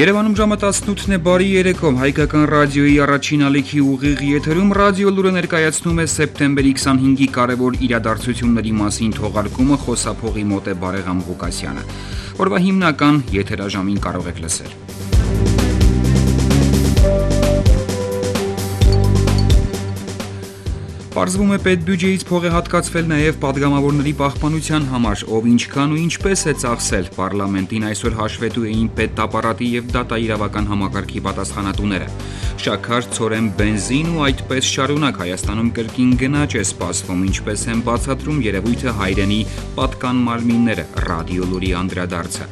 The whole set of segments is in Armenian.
Երևանում ժամը 18-ն է, բարի երեկո, հայկական ռադիոյի առաջին ալիքի ուղիղ եթերում ռադիո լուրը ներկայացնում է սեպտեմբերի 25-ի կարևոր իրադարձությունների մասին թողարկումը, խոսափողի մոտ է Բարեգամ Ղուկասյանը։ Օրվա հիմնական եթերաժամին կարող եք լսել։ Պարզվում է պետբյուջեից փող է հատկացվել նաև պատգամավորների պահպանության համար, ով ինչքան ու ինչպես է ծախսել։ Պարլամենտին այսօր հաշվետու էին պետապարատի և դատաիրավական համակարգի պատասխանատուները։ Շաքար, ցորեն, բենզին ու այդպես շարունակ Հայաստանում կրկին գնաճ է սպասվում, ինչպես են բացատրում երևույթը հայրենի պատկան մարմինները, ռադիո լուրի անդրադարձը։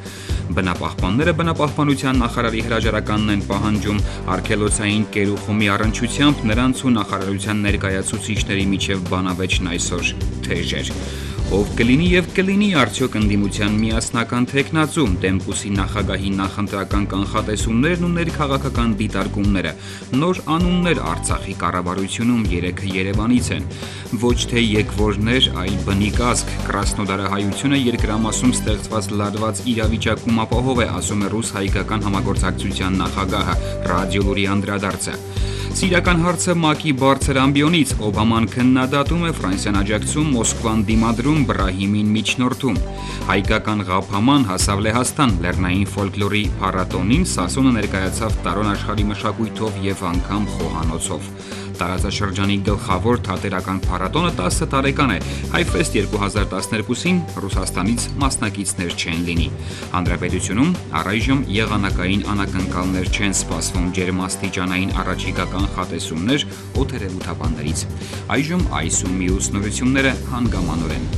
Բնապահպանները բնապահպանության նախարարի հրաժարականն են պահանջում արգելոցային կերուխումի առնչությամբ նրանց ու նախարարության ներկայացուցիչների միջև բանավեճն այսօր թեժ էր։ Ով կլինի և կլինի արդյոք ընդդիմության միասնական թեկնածու, Դեմկուսի նախագահի նախընտրական կանխատեսումներն ու ներքաղաքական դիտարկումները, նոր անուններ Արցախի կառավարությունում, երեքը Երևանից են, ոչ թե եկվորներ, այլ բնիկ ազգ, Կրասնոդարահայությունը երկրամասում ստեղծված լարված իրավիճակում ապահով է, ասում է ռուս-հայկական համագործակցության նախագահը, ռադիո լուրի անդրադարձը։ Սիրիական հարցը ՄԱԿ-ի բարձր ամբիոնից, Օբաման քննադատում է Ֆրանսիան աջակցում, Մոսկվան դիմադրում, Բրահիմին միջնորդում։ Հայկական ղափաման հասավ Լեհաստան, լեռնային ֆոլկլորի փառատոնին Սասոնը ներկայացավ տարոն աշխարհի մշակույթով և անգամ խոհանոցով։ Տարածաշրջանի գլխավոր թատերական փառատոնը 10 տարեկան է, Հայֆեստ 2012-ին Ռուսաստանից մասնակիցներ չեն լինի։ Հանրապետությունում առայժմ եղանակային անակնկալներ չեն սպասվում, ջերմաստիճանային առաջիկա կանխատեսումներ օդերևութաբաններից։ Այժմ այս ու մյուս նորությունները հանգամանորեն։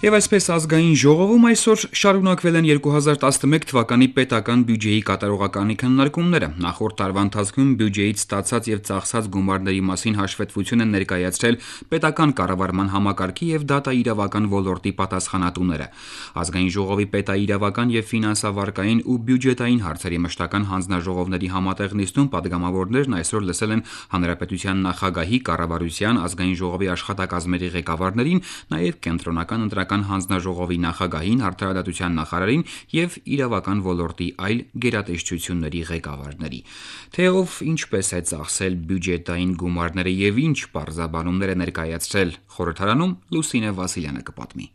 Եվ այսպես ազգային ժողովում այսօր շարունակվել են 2011 թվականի պետական բյուջեի կատարողականի քննարկումները։ Նախորդ տարվա ընթացքում բյուջեից ստացած և ծախսած գումարների մասին հաշվետվություն են ներկայացրել պետական կառավարման համակարգի և դատաիրավական ոլորտի պատասխանատուները։ Ազգային ժողովի պետաիրավական և ֆինանսավարկային ու բյուջետային հարցերի մշտական հանձնաժողովների համատեղ նիստում պատգամավորներն այսօր լսել են հանրապետության նախագահի, կառավարության, ազգային ժողովի աշխատակազմերի ղեկավարներին, նաև կենտրոնական ընտրական հանձնաժողովի նախագահին, արդարադատության նախարարին և իրավական ոլորտի այլ գերատեսչությունների ղեկավարների։ Թե ով ինչպես է ծախսել բյուջետային գումարները և ինչ պարզաբանումներ է ներկայացրել խորհրդարանում, Լուսինե Վասիլյանը կպատմի։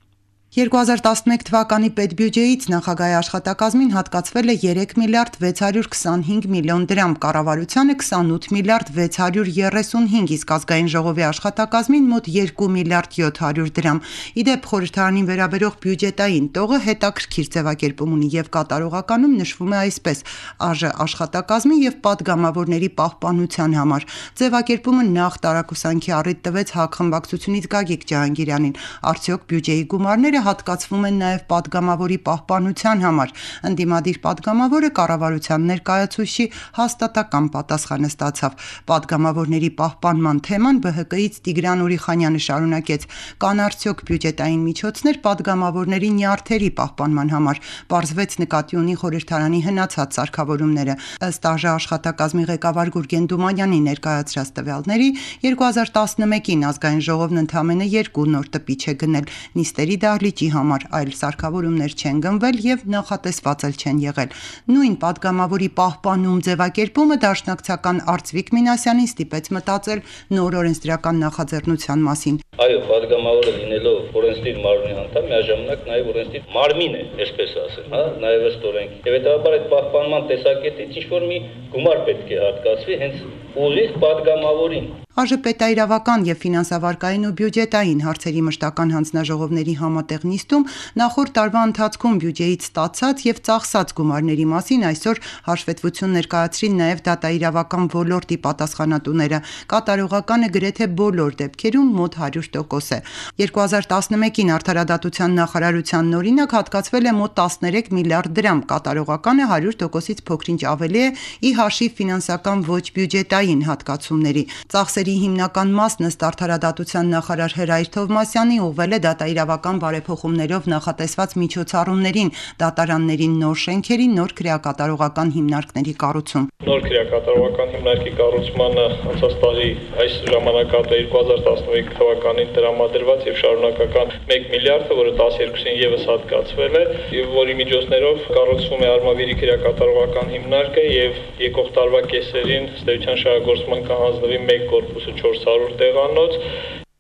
2011 թվականի պետբյուջեից նախագահի աշխատակազմին հատկացվել է 3 միլիարդ 625 միլիոն դրամ, կառավարությանը 28 միլիարդ 635, իսկ ազգային ժողովի աշխատակազմին մոտ 2 միլիարդ 700 դրամ։ Իդեպ խորհրդարանին վերաբերող բյուջետային տողը հետաքրքիր ձևակերպում ունի և կատարողականում նշվում է այսպես. ԱԺ աշխատակազմի և պատգամավորների պահպանության համար։ Ձևակերպումը նախ տարակուսանքի առիթ տվեց ՀԱԿ խմբակցությունից Գագիկ Ջհանգիրյանին։ Արդյոք բյուջեի գումարները հատկացվում են նաև պատգամավորի պահպանության համար։ Ընդդիմադիր պատգամավորը կառավարության ներկայացուցչի հաստատակամ պատասխանը ստացավ։ Պատգամավորների պահպանման թեման ԲՀԿ-ից Տիգրան Ուրիխանյանը շարունակեց. կան արդյոք բյուջետային միջոցներ պատգամավորների նյարդերի պահպանման համար։ Պարզվեց նկատի ունի խորհրդարանի հնացած սարքավորումները։ Ըստ ԱԺ աշխատակազմի ղեկավար Գուրգեն Դումանյանի ներկայացրած տվյալների 2011-ին ազգային ժողովն ընդամենը 2 նոր տպիչ է գնել նիստերի դահլիճի համար, այլ սարքավորումներ չեն գնվել և նախատեսված էլ չեն եղել։ Նույն պատգամավորի պահպանում ձևակերպումը դաշնակցական Արծվիկ Մինասյանին ստիպեց մտածել նոր օրենսդրական նախաձեռնության մասին։ Այո, պատգամավորը լինելով օրենսդիր մարմնի անդամ, միաժամանակ նաև օրենսդիր մարմին է, այսպես ասել, նաև ըստ օրենքի։ Եվ հետաբար այդ պահպանման տեսակետից ինչ-որ մի գումար պետք է հատկացվի հենց ուղիղ պատգամավորին։ ԱԺ պետաիրավական և ֆինանսավարկային ու բյուջետային հարցերի մշտական հանձնաժողովների համատեղ նիստում նախորդ տարվա ընթացքում բյուջեից ստացած և ծախսած գումարների մասին այսօր հաշվետվություն ներկայացրին նաև դատաիրավական ոլորտի պատասխանատուները։ Կատարողականը գրեթե բոլոր դեպքերում մոտ 100% է։ 2011-ին արդարադատության նախարարության նորինակ հատկացվել է մոտ 13 միլիարդ դրամ, կատարողականը 100%-ից փոքր-ինչ ավելի է ի հաշիվ ֆինանսական ոչ բյուջետային բյուջետային հատկացումների։ Ծախսերի հիմնական մասն ըստ արդարադատության նախարար Հրայր Թովմասյանի ուղղվել է դատաիրավական բարեփոխումներով նախատեսված միջոցառումներին, դատարաններին նոր շենքերի, նոր քրեակատարողական հիմնարկների կառուցում։ Նոր քրեակատարողական հիմնարկի կառուցմանը անցած տարի այս ժամանակահատվածում 2015 թվականին տրամադրված եւ շարունակական 1 միլիարդը, որը 12-ին եւս հատկացվել է, եւ որի միջոցներով կառուցվում է Արմավիրի քրեակատարողական հիմնարկը եւ եկող տարվա կեսերին ստեյության շահագործման կհանձնվի 1 կորպուսը 400 տեղանոց։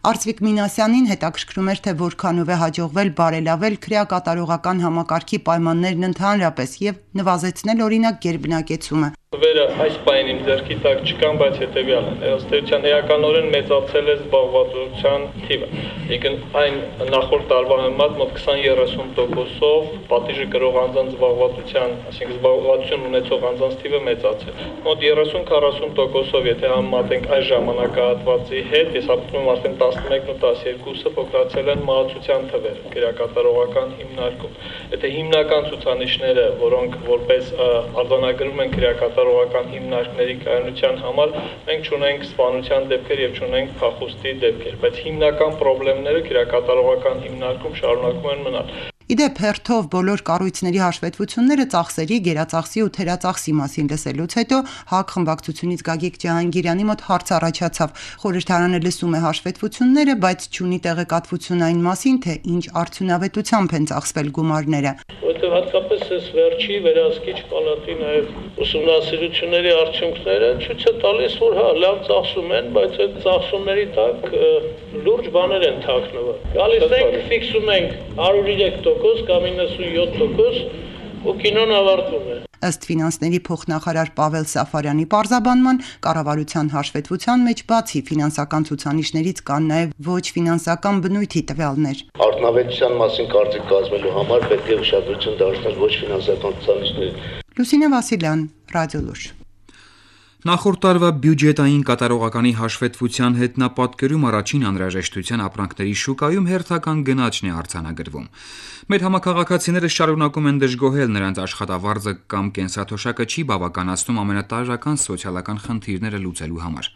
Արծվիկ Մինասյանին հետաքրքրում էր, թե որքանով է հաջողվել բարելավել քրեակատարողական համակարգի պայմաններն ընդհանրապես եւ նվազեցնել օրինակ գերբնակեցումը։ Վերը այս պահին իմ ձեռքի տակ չկան, բայց հետեւյալն է, ըստ էության էականորեն մեծացել է զբաղվածության թիվը։ Եկն այն նախորդ տարվա համեմատ մոտ 20-30%-ով պատիժը կրող անձանց զբաղվածության, այսինքն զբաղվածություն ունեցող անձանց թիվը մեծացել։ Մոտ 30-40%-ով, եթե համեմատենք այս ժամանակահատվածի հետ, ես ապրում եմ արդեն 11-ն ու 12-ը փոքրացել են մահացության թվերը քրեակատարողական հիմնարկում։ Եթե հիմնական ցուցանիշները, որոնք որպես արձանագրում են քրեակատարողական հիմնարկների կայունության համար, մենք չունենք սպանության դեպքեր եւ չունենք փախուստի դեպքեր, բայց հիմնական խնդիրները քրեակատարողական հիմնարկում շարունակում են մնալ։ Իդեպ հերթով բոլոր կառույցների հաշվետվությունները ծախսերի, գերածախսի ու թերածախսի մասին լսելուց հետո ՀԱԿ խմբակցությունից Գագիկ Ջահանգիրյանի մոտ հարց առաջացավ։ Խորհրդարանը լսում է հաշվետվությունները, բայց չունի տեղեկատվություն այն մասին, թե ինչ արդյունավետությամբ են ծախսվել գումարները։ Որտեղ հատկապես այս վերջի վերահսկիչ պալատի նաև ուսումնասիրությունների արդյունքները ցույց է տալիս, որ հա լավ ծախսում են, բայց այդ ծախսումների տակ լուրջ բաներ են թաքնված։ Գալիս ենք, ֆիքսում ենք 103% կամ 97% ու կինոն ավարտվում է։ Ըստ ֆինանսների փոխնախարար Պավել Սաֆարյանի պարզաբանման, կառավարության հաշվետվության մեջ բացի ֆինանսական ցուցանիշներից կան նաև ոչ ֆինանսական բնույթի տվյալներ։ Արդյունավետության մասին կարծիք կազմելու համար պետք է ուշադրություն դարձնել ոչ ֆինանսական ցուցանիշներին։ Լուսինե Վասիլյան, Ռադիոլուր։ Նախորդ տարվա բյուջետային կատարողականի հաշվետվության հետ նա պատկերում առաջին անհրաժեշտության ապրանքների շուկայում հերթական գնաճն է արձանագրվում։ Մեր համակարգացիները շարունակում են դժգոհել, նրանց աշխատավարձը կամ կենսաթոշակը չի բավականացնում ամենատարրական սոցիալական խնդիրները լուծելու համար։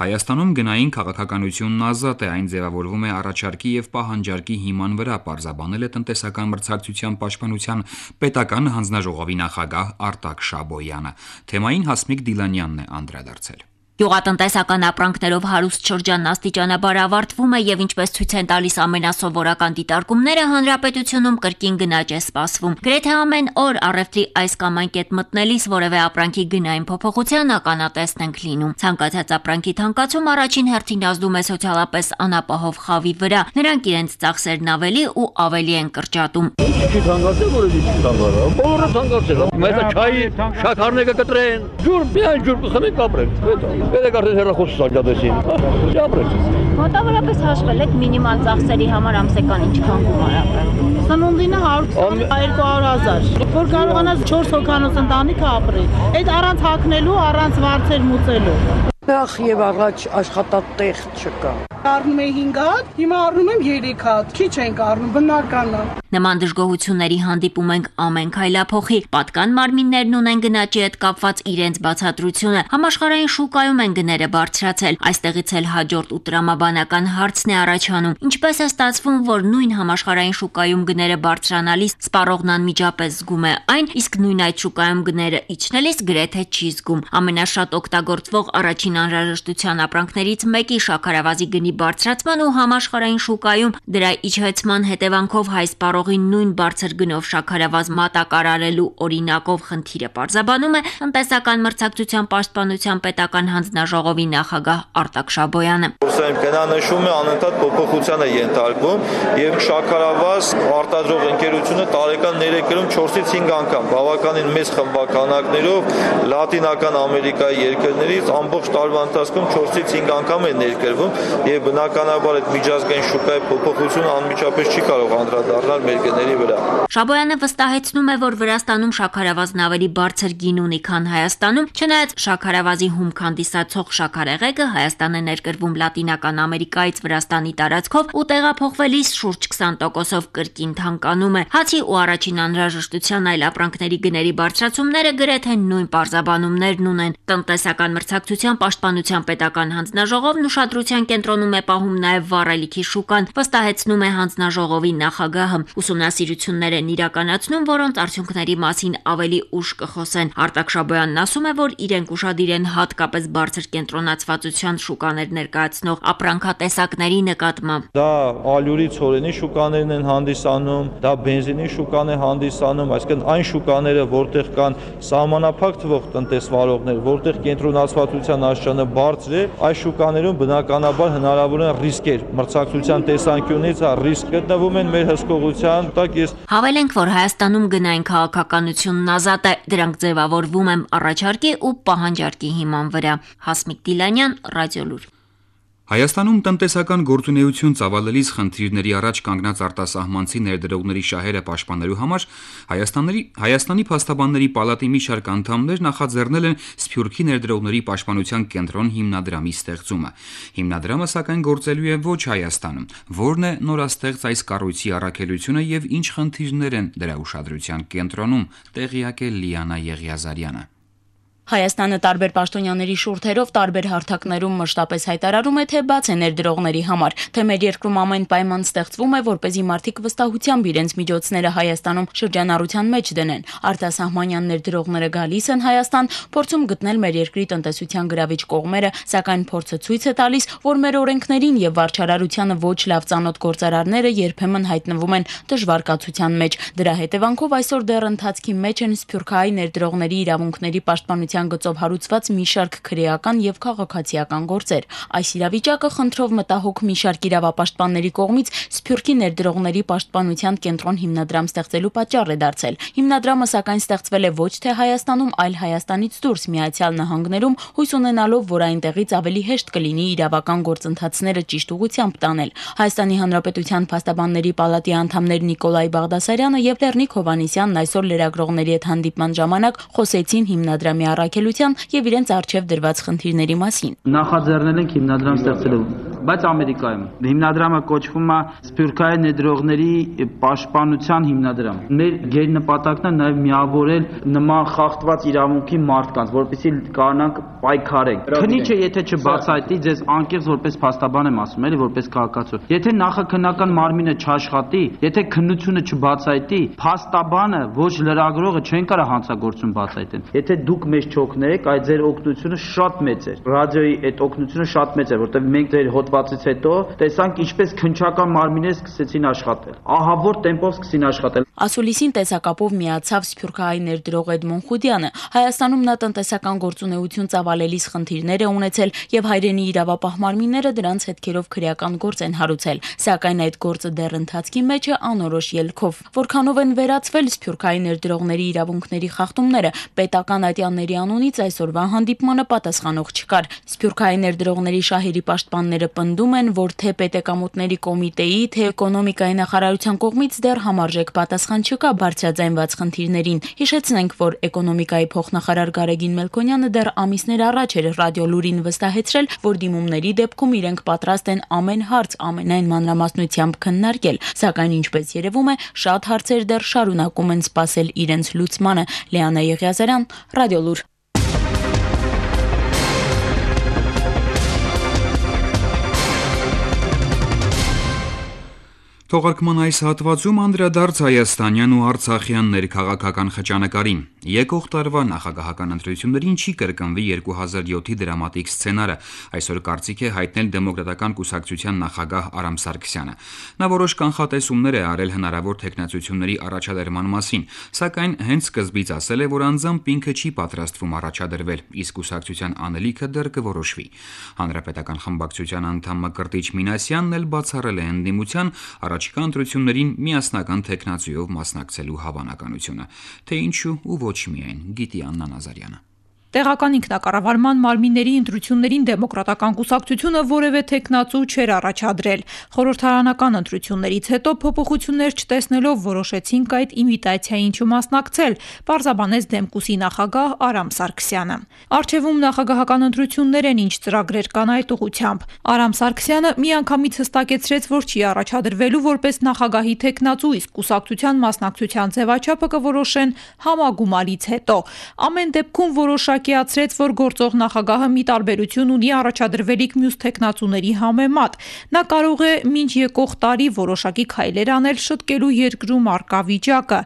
Հայաստանում գնային քաղաքականությունն ազատ է, այն ձևավորվում է առաջարկի եւ պահանջարկի հիման վրա, պարզաբանել է տնտեսական մրցակցության պաշտպանության պետական հանձնաժողովի նախագահ Արտակ Շաբոյանը։ Թեմային Հասմիկ Դիլանյանն է անդրադարձել։ Գյուղատնտեսական ապրանքներով հարուստ շրջանն աստիճանաբար ավարտվում է եւ ինչպես ցույց են տալիս ամենասովորական դիտարկումները, հանրապետությունում կրկին գնաճ է սպասվում։ Գրեթե ամեն օր առևտրի այս կամ այն կետ մտնելիս որևէ ապրանքի գնային փոփոխության ականատեսն ենք լինում։ Ցանկացած ապրանքի թանկացում առաջին հերթին ազդում է սոցիալապես անապահով խավի վրա։ Նրանք իրենց ծախսերն ավելի ու ավելի են կրճատում։ Չի թանկացել, որ չի թանկացել։ Բոլորը թանկացել։ Մեծ չայի շաքարները կտրեն։ Ջուր, միայն ջուր խմենք ապրենք։ Պետք է հեռախոս սարքատեսին։ Ապրեք։ Մոտավորապես հաշվել եք մինիմալ ծախսերի համար ամսական ինչքան գումար ապրել։ Սնունդինը 100-200,000, որ կարողանաս 4 հոգանոց ընտանիքը ապրի։ Այդ առանց հագնելու, առանց վարձեր մուծելու։ Նախ եւ առաջ աշխատատեղ չկա։ Առնում եմ 5 հատ, հիմա առնում եմ 3 հատ։ Քիչ ենք առնում, բնական է։ Նման դժգոհությունների հանդիպում ենք ամեն քայլափոխի։ Պատկան մարմիններն ունեն գնաճի հետ կապված իրենց բացատրությունը։ Համաշխարհային շուկայում են գները բարձրացել։ Այստեղից էլ հաջորդ ու տրամաբանական հարցն է առաջանում։ Ինչպես է ստացվում, որ նույն համաշխարհային շուկայում գները բարձրանալիս սպառողն անմիջապես զգում է այն, իսկ նույն այդ շուկայում գները իջնելիս գրեթե չի զգում։ Ամենաշատ օգտագործվող առաջին անհրաժեշտության ապրանքներից մեկի շաքարավազի գնի բարձրացման ու համաշխարհային շուկայում դրա իջեցման հետևանքով հայ սպառողին նույն բարձր գնով շաքարավազ մատակարարելու օրինակով խնդիրը պարզաբանում է տնտեսական մրցակցության պաշտպանության պետական հանձնաժողովի նախագահ Արտակ Շաբոյանը։ Գնանշում է անընդհատ փոփոխության է ենթարկվում եւ շաքարավազ արտադրող ընկերությունը տարեկան ներկայում 4-ից 5 անգամ բավականին մեծ խմբականակներով Լատինական Ամերիկայի երկրներից ամբողջ տարվա ընթացքում 4-ից 5 անգամ է ներկրվում եւ եւ բնականաբար այդ միջազգային շուկայի փոփոխությունը անմիջապես չի կարող անդրադառնալ մեր գների վրա։ Շաբոյանը վստահեցնում է, որ Վրաստանում շաքարավազն ավելի բարձր գին ունի, քան Հայաստանում, չնայած շաքարավազի հումք հանդիսացող շաքարեղեգը Հայաստան է ներկրվում Լատինական Ամերիկայից Վրաստանի տարածքով ու տեղափոխվելիս շուրջ 20%-ով կրկին թանկանում է։ Հացի ու առաջին անհրաժեշտության այլ ապրանքների գների բարձրացումները գրեթե նույն պարզաբանումներն ունեն։ Տնտեսական մրցակցության պաշտպանության պետական հանձնաժողովն ուշադրության կենտրոնում է պահում նաև վառելիքի շուկան, վստահեցնում է հանձնաժողովի նախագահը։ Ուսումնասիրություններ են իրականացնում, որոնց արդյունքների մասին ավելի ուշ կխոսեն։ Արտակ Շաբոյանն ասում է, որ իրենք ուշադիր են հատկապես բարձր կենտրոնացվածության շուկաներ ներկայացնող ապրանքատեսակների նկատմամբ։ Դա ալյուրի ցորենի շուկաներն են հանդիսանում, դա բենզինի շուկան է հանդիսանում, այսինքն այն շուկաները, որտեղ կան սահմանափակ թվով տնտեսվարողներ, որտեղ կենտրոնացվածության աստիճանը բարձր է, այս շուկաներում բնականաբար հնարավոր են ռիսկեր, մրցակցության տեսանկյունից ռիսկ գտնվում են մեր հսկողության տակ։ Հավելենք, որ Հայաստանում գնային քաղաքականությունն ազատ է, դրանք ձևավորվում են առաջարկի ու պահանջարկի հիման վրա։ Հասմիկ Դիլանյան, Ռադիոլուր։ Հայաստանում տնտեսական գործունեություն ծավալելիս խնդիրների առաջ կանգնած արտասահմանցի ներդրողների շահերը պաշտպանելու համար Հայաստանի փաստաբանների պալատի մի շարք անդամներ նախաձեռնել են Սփյուռքի ներդրողների պաշտպանության կենտրոն հիմնադրամի ստեղծումը։ Հիմնադրամը սակայն գործելու է ոչ Հայաստանում։ Որն է նորաստեղծ այս կառույցի առաքելությունը եւ ինչ խնդիրներ են դրա ուշադրության կենտրոնում, տեղյակ է Լիանա Եղիազարյանը։ Հայաստանը տարբեր պաշտոնյաների շուրթերով տարբեր հարթակներում մշտապես հայտարարում է, թե բաց է ներդրողների համար, թե մեր երկրում ամեն պայման ստեղծվում է, որպեսզի մարդիկ վստահությամբ իրենց միջոցները Հայաստանում շրջանառության մեջ դնեն։ Արտասահմանյան ներդրողները գալիս են Հայաստան, փորձում գտնել մեր երկրի տնտեսության գրավիչ կողմերը, սակայն փորձը ցույց է տալիս, որ մեր օրենքներին եւ վարչարարությանը ոչ լավ ծանոթ գործարարները երբեմն հայտնվում են դժվար կացության մեջ։ Դրա հետևանքով այսօր դեռ ընթացքի մեջ են սփյուռքահայ ներդրողների իրավունքների պաշտպանության գծով հարուցված մի շարք քրեական եւ քաղաքացիական գործեր։ Այս իրավիճակը խնդրով մտահոգ մի շարք իրավապաշտպանների կողմից Սփյուռքի ներդրողների պաշտպանության կենտրոն հիմնադրամ ստեղծելու պատճառ է դարձել։ Հիմնադրամը սակայն ստեղծվել է ոչ թե Հայաստանում, այլ Հայաստանից դուրս Միացյալ Նահանգներում, հույս ունենալով, որ այնտեղից ավելի հեշտ կլինի իրավական գործընթացները ճիշտ ուղղությամբ տանել։ Հայաստանի Հանրապետության փաստաբանների պալատի անդամներ Նիկոլայ Բաղդասարյանը եւ Լեռնիկ Հովհաննիսյանն այսօր լրագրողների հետ հանդիպման ժամանակ խոսեցին հիմնադրամի առաքելության եւ իրենց արժեվ դրված խնդիրների մասին։ Նախաձեռնել ենք հիմնադրամ ստեղծելու, բայց Ամերիկայում հիմնադրամը կոչվում է Սփյուռքահայ ներդրողների պաշտպանության հիմնադրամ։ Մեր գերնպատակն է նաեւ միավորել նման խախտված իրավունքի մարդկանց, որպեսզի կարողանանք պայքարենք։ Քնիչը եթե չբացահայտի, ձեզ անկեղծ որպես փաստաբան եմ ասում, էլի որպես քաղաքացու։ Եթե նախաքննական մարմինը չաշխատի, եթե քննությունը չբացահայտի, փաստաբանը ոչ լրագրողը չեն կարող հանցագործություն բացահայտեն։ Եթե դուք մեզ չօգնեք, այդ ձեր օգնությունը շատ մեծ է։ Ռադիոյի այդ օգնությունը շատ մեծ է, որտեղ մենք ձեր հոդվածից հետո տեսանք ինչպես քննչական մարմինները սկսեցին աշխատել։ Ահա որ տեմպով սկսին աշխատել։ Ասուլիսին տեսակապով միացավ Սփյուռքահայ ներդրող Էդմոն Խուդյանը։ Հայաստանում նա տնտեսական գործունեություն ծավալելիս խնդիրներ է ունեցել եւ հայրենի իրավապահ մարմինները դրանց հետքերով քրեական գործ են հարուցել, սակայն այդ գործը դեռ ընթացքի մեջ է անորոշ ելքով։ Որքանով են վերացվել Սփյուռքահայ ներդրողների իրավունքների խախտումները, պետական ատյանների անունից այսօրվա հանդիպմանը պատասխանող չկար։ Սփյուռքահայ ներդրողների շահերի պաշտպանները պնդում են, որ թե պետեկամուտների կոմիտեի, թե էկոնոմիկայի նախարարության կողմից դեռ համարժեք պատասխան չկա բարձրաձայնված խնդիրներին։ Հիշեցնենք, որ էկոնոմիկայի փոխնախարար Գարեգին Մելքոնյանը դեռ ամիսներ առաջ էր Ռադիոլուրին վստահեցրել, որ դիմումների դեպքում իրենք պատրաստ են ամեն հարց ամենայն մանրամասնությամբ քննարկել, սակայն ինչպես երևում է, շատ հարցեր դեռ շարունակում են սպասել իրենց լուծմանը։ Լիանա Եղիազարյան, Ռադիոլուր։ Թողարկման այս հատվածում անդրադարձ հայաստանյան ու արցախյան ներքաղաքական խճանկարին։ Եկող տարվա նախագահական ընտրություններին չի կրկնվի 2007-ի դրամատիկ սցենարը, այսօր կարծիք է հայտնել Դեմոկրատական կուսակցության նախագահ Արամ Սարգսյանը։ Նա որոշ կանխատեսումներ է արել հնարավոր թեկնածությունների առաջադրման մասին, սակայն հենց սկզբից ասել է, որ անձամբ ինքը չի պատրաստվում առաջադրվել, իսկ կուսակցության անելիքը դեռ կորոշվի։ Հանրապետական խմբակցության անդամ Մկրտիչ Մինասյանն էլ բացառել է ընդդիմության առաջիկա ընտրություններին միասնական թեկնածուով մասնակցելու հավանականությունը, թե ինչու ու ոչ միայն, գիտի Աննա Նազարյանը։ Տեղական ինքնակառավարման մարմինների ընտրություններին դեմոկրատական կուսակցությունը որևէ թեկնածու չէր առաջադրել։ Խորհրդարանական ընտրություններից հետո փոփոխություններ չտեսնելով որոշեցինք այդ ինվիտացիային չմասնակցել, պարզաբանեց Դեմկուսի նախագահ Արամ Սարգսյանը։ Առջևում նախագահական ընտրություններ են, ինչ ծրագրեր կան այդ ուղղությամբ։ Արամ Սարգսյանը միանգամից հստակեցրեց, որ չի առաջադրվելու որպես նախագահի թեկնածու, իսկ կուսակցության մասնակցության ձևաչափը կորոշեն համագումարից հետո։ Ամեն դեպքում որոշակիացրեց, որ գործող նախագահը մի տարբերություն ունի առաջադրվելիք մյուս թեկնածուների համեմատ։ Նա կարող է մինչ եկող տարի որոշակի քայլեր անել շտկելու երկրում առկա վիճակը,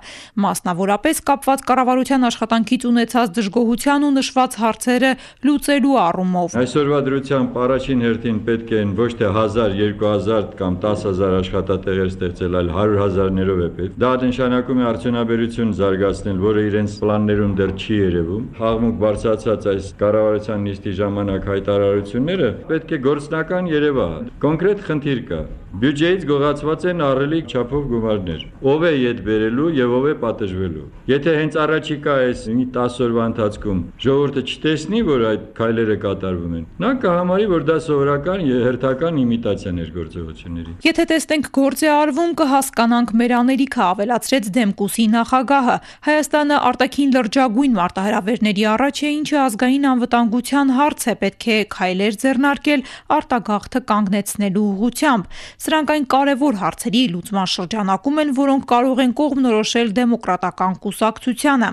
մասնավորապես կապված կառավարության աշխատանքից ունեցած դժգոհության ու նշված հարցերը լուծելու առումով։ Այսօրվա դրությամբ առաջին հերթին պետք են ոչ թե 1000, 2000 կամ 10000 աշխատատեղեր ստեղծել, այլ 100,000-ներով է պետք։ Դա նշանակում է արդյունաբերություն զարգացնել, որը իրենց պլաններում դեռ չի երևում։ Խաղմուկ բարձրացած այս կառավարության նիստի ժամանակ հայտարարությունները պետք է գործնական երևա։ Կոնկրետ խնդիր կա։ Բյուջեից գողացված են ահռելի չափով գումարներ։ Ով է իդ բերելու եւ ով է պատժվելու։ Եթե հենց առաջիկա այս 10 օրվա ընթացքում ժողովուրդը չտեսնի, որ այդ քայլերը կատարվում են, նա կհամարի, որ դա սովորական եւ հերթական իմիտացիաներ գործողությունների։ Եթե տեսնենք գործ է արվում, կհասկանանք մեր անելիքը, ավելացրեց Դեմկուսի նախագահը։ Հայաստանը արտաքին լրջագույն մարտահրավերների առաջ է, ինչը ազգային անվտանգության հարց է, պետք է քայլեր ձեռնարկել արտագաղթը կանգնեցնելու ուղղությամբ։ Սրանք այն կարևոր հարցերի լուծման շրջանակում են, որոնք կարող են կողմնորոշել դեմոկրատական կուսակցությանը։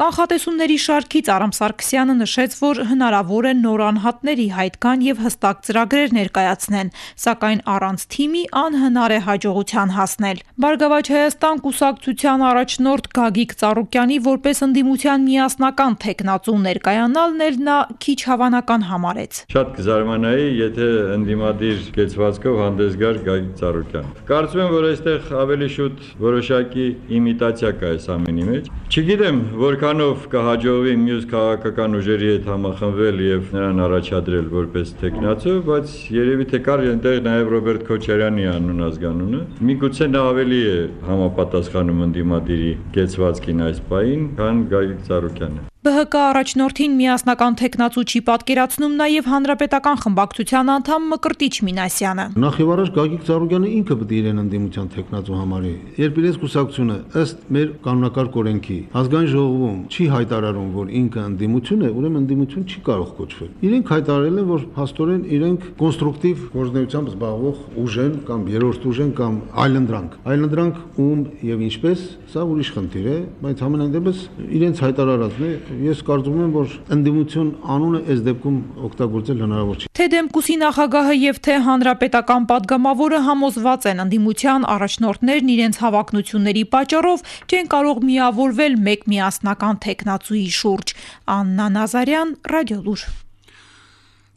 Կանխատեսումների շարքից Արամ Սարգսյանը նշեց, որ հնարավոր է նոր անհատների հայտ գան եւ հստակ ծրագրեր ներկայացնեն, սակայն առանց թիմի անհնար է հաջողության հասնել։ Բարգավաճ Հայաստան կուսակցության առաջնորդ Գագիկ Ծառուկյանի որպես ընդդիմության միասնական թեկնածու ներկայանալն էլ նա քիչ հավանական համարեց։ Շատ կզարմանայի, եթե ընդդիմադիր կեցվածքով հանդես գար Գագիկ Ծառուկյան։ Կարծում եմ, որ այստեղ ավելի շուտ որոշակի իմիտացիա կա այս ամենի մեջ։ Չգիտեմ, որքանով կհաջողվի մյուս քաղաքական ուժերի հետ համախմբվել եւ նրան առաջադրել որպես թեկնածու, բայց երևի թե կար այնտեղ նաեւ Ռոբերտ Քոչարյանի անուն ազգանունը։ Միգուցե նա ավելի է համապատասխանում ընդդիմադիրի կեցվածքին այս պահին, քան Գագիկ Ծառուկյանը։ ԲՀԿ առաջնորդին միասնական թեկնածու չի պատկերացնում նաև հանրապետական խմբակցության անդամ Մկրտիչ Մինասյանը։ Նախ եւ առաջ Գագիկ Ծառուկյանը ինքը պետք է իրեն ընդդիմության թեկնածու համարի։ Երբ իրենց կուսակցությունը ըստ մեր կանոնակարգ օրենքի ազգային ժողովում չի հայտարարում, որ ինքը ընդդիմություն է, ուրեմն ընդդիմություն չի կարող կոչվել։ Իրենք հայտարարել են, որ փաստորեն իրենք կոնստրուկտիվ գործունեությամբ զբաղվող ուժ են կամ երրորդ ուժ են կամ այլընտրանք։ Այլընտրանք ում եւ ինչպես, սա ուրիշ խնդիր է, բայց համենայն դեպս իրենց հայտարարածն է։ Ես կարծում եմ, որ ընդդիմություն անունը այս դեպքում օգտագործել հնարավոր չի։ Թե Դեմկուսի նախագահը եւ թե հանրապետական падգամավորը համոզված են ընդդիմության առաջնորդներն իրենց հավակնությունների պատճառով չեն կարող միավորվել մեկ միասնական թեկնածուի շուրջ։ Աննա Նազարյան, Ռադիոլուր։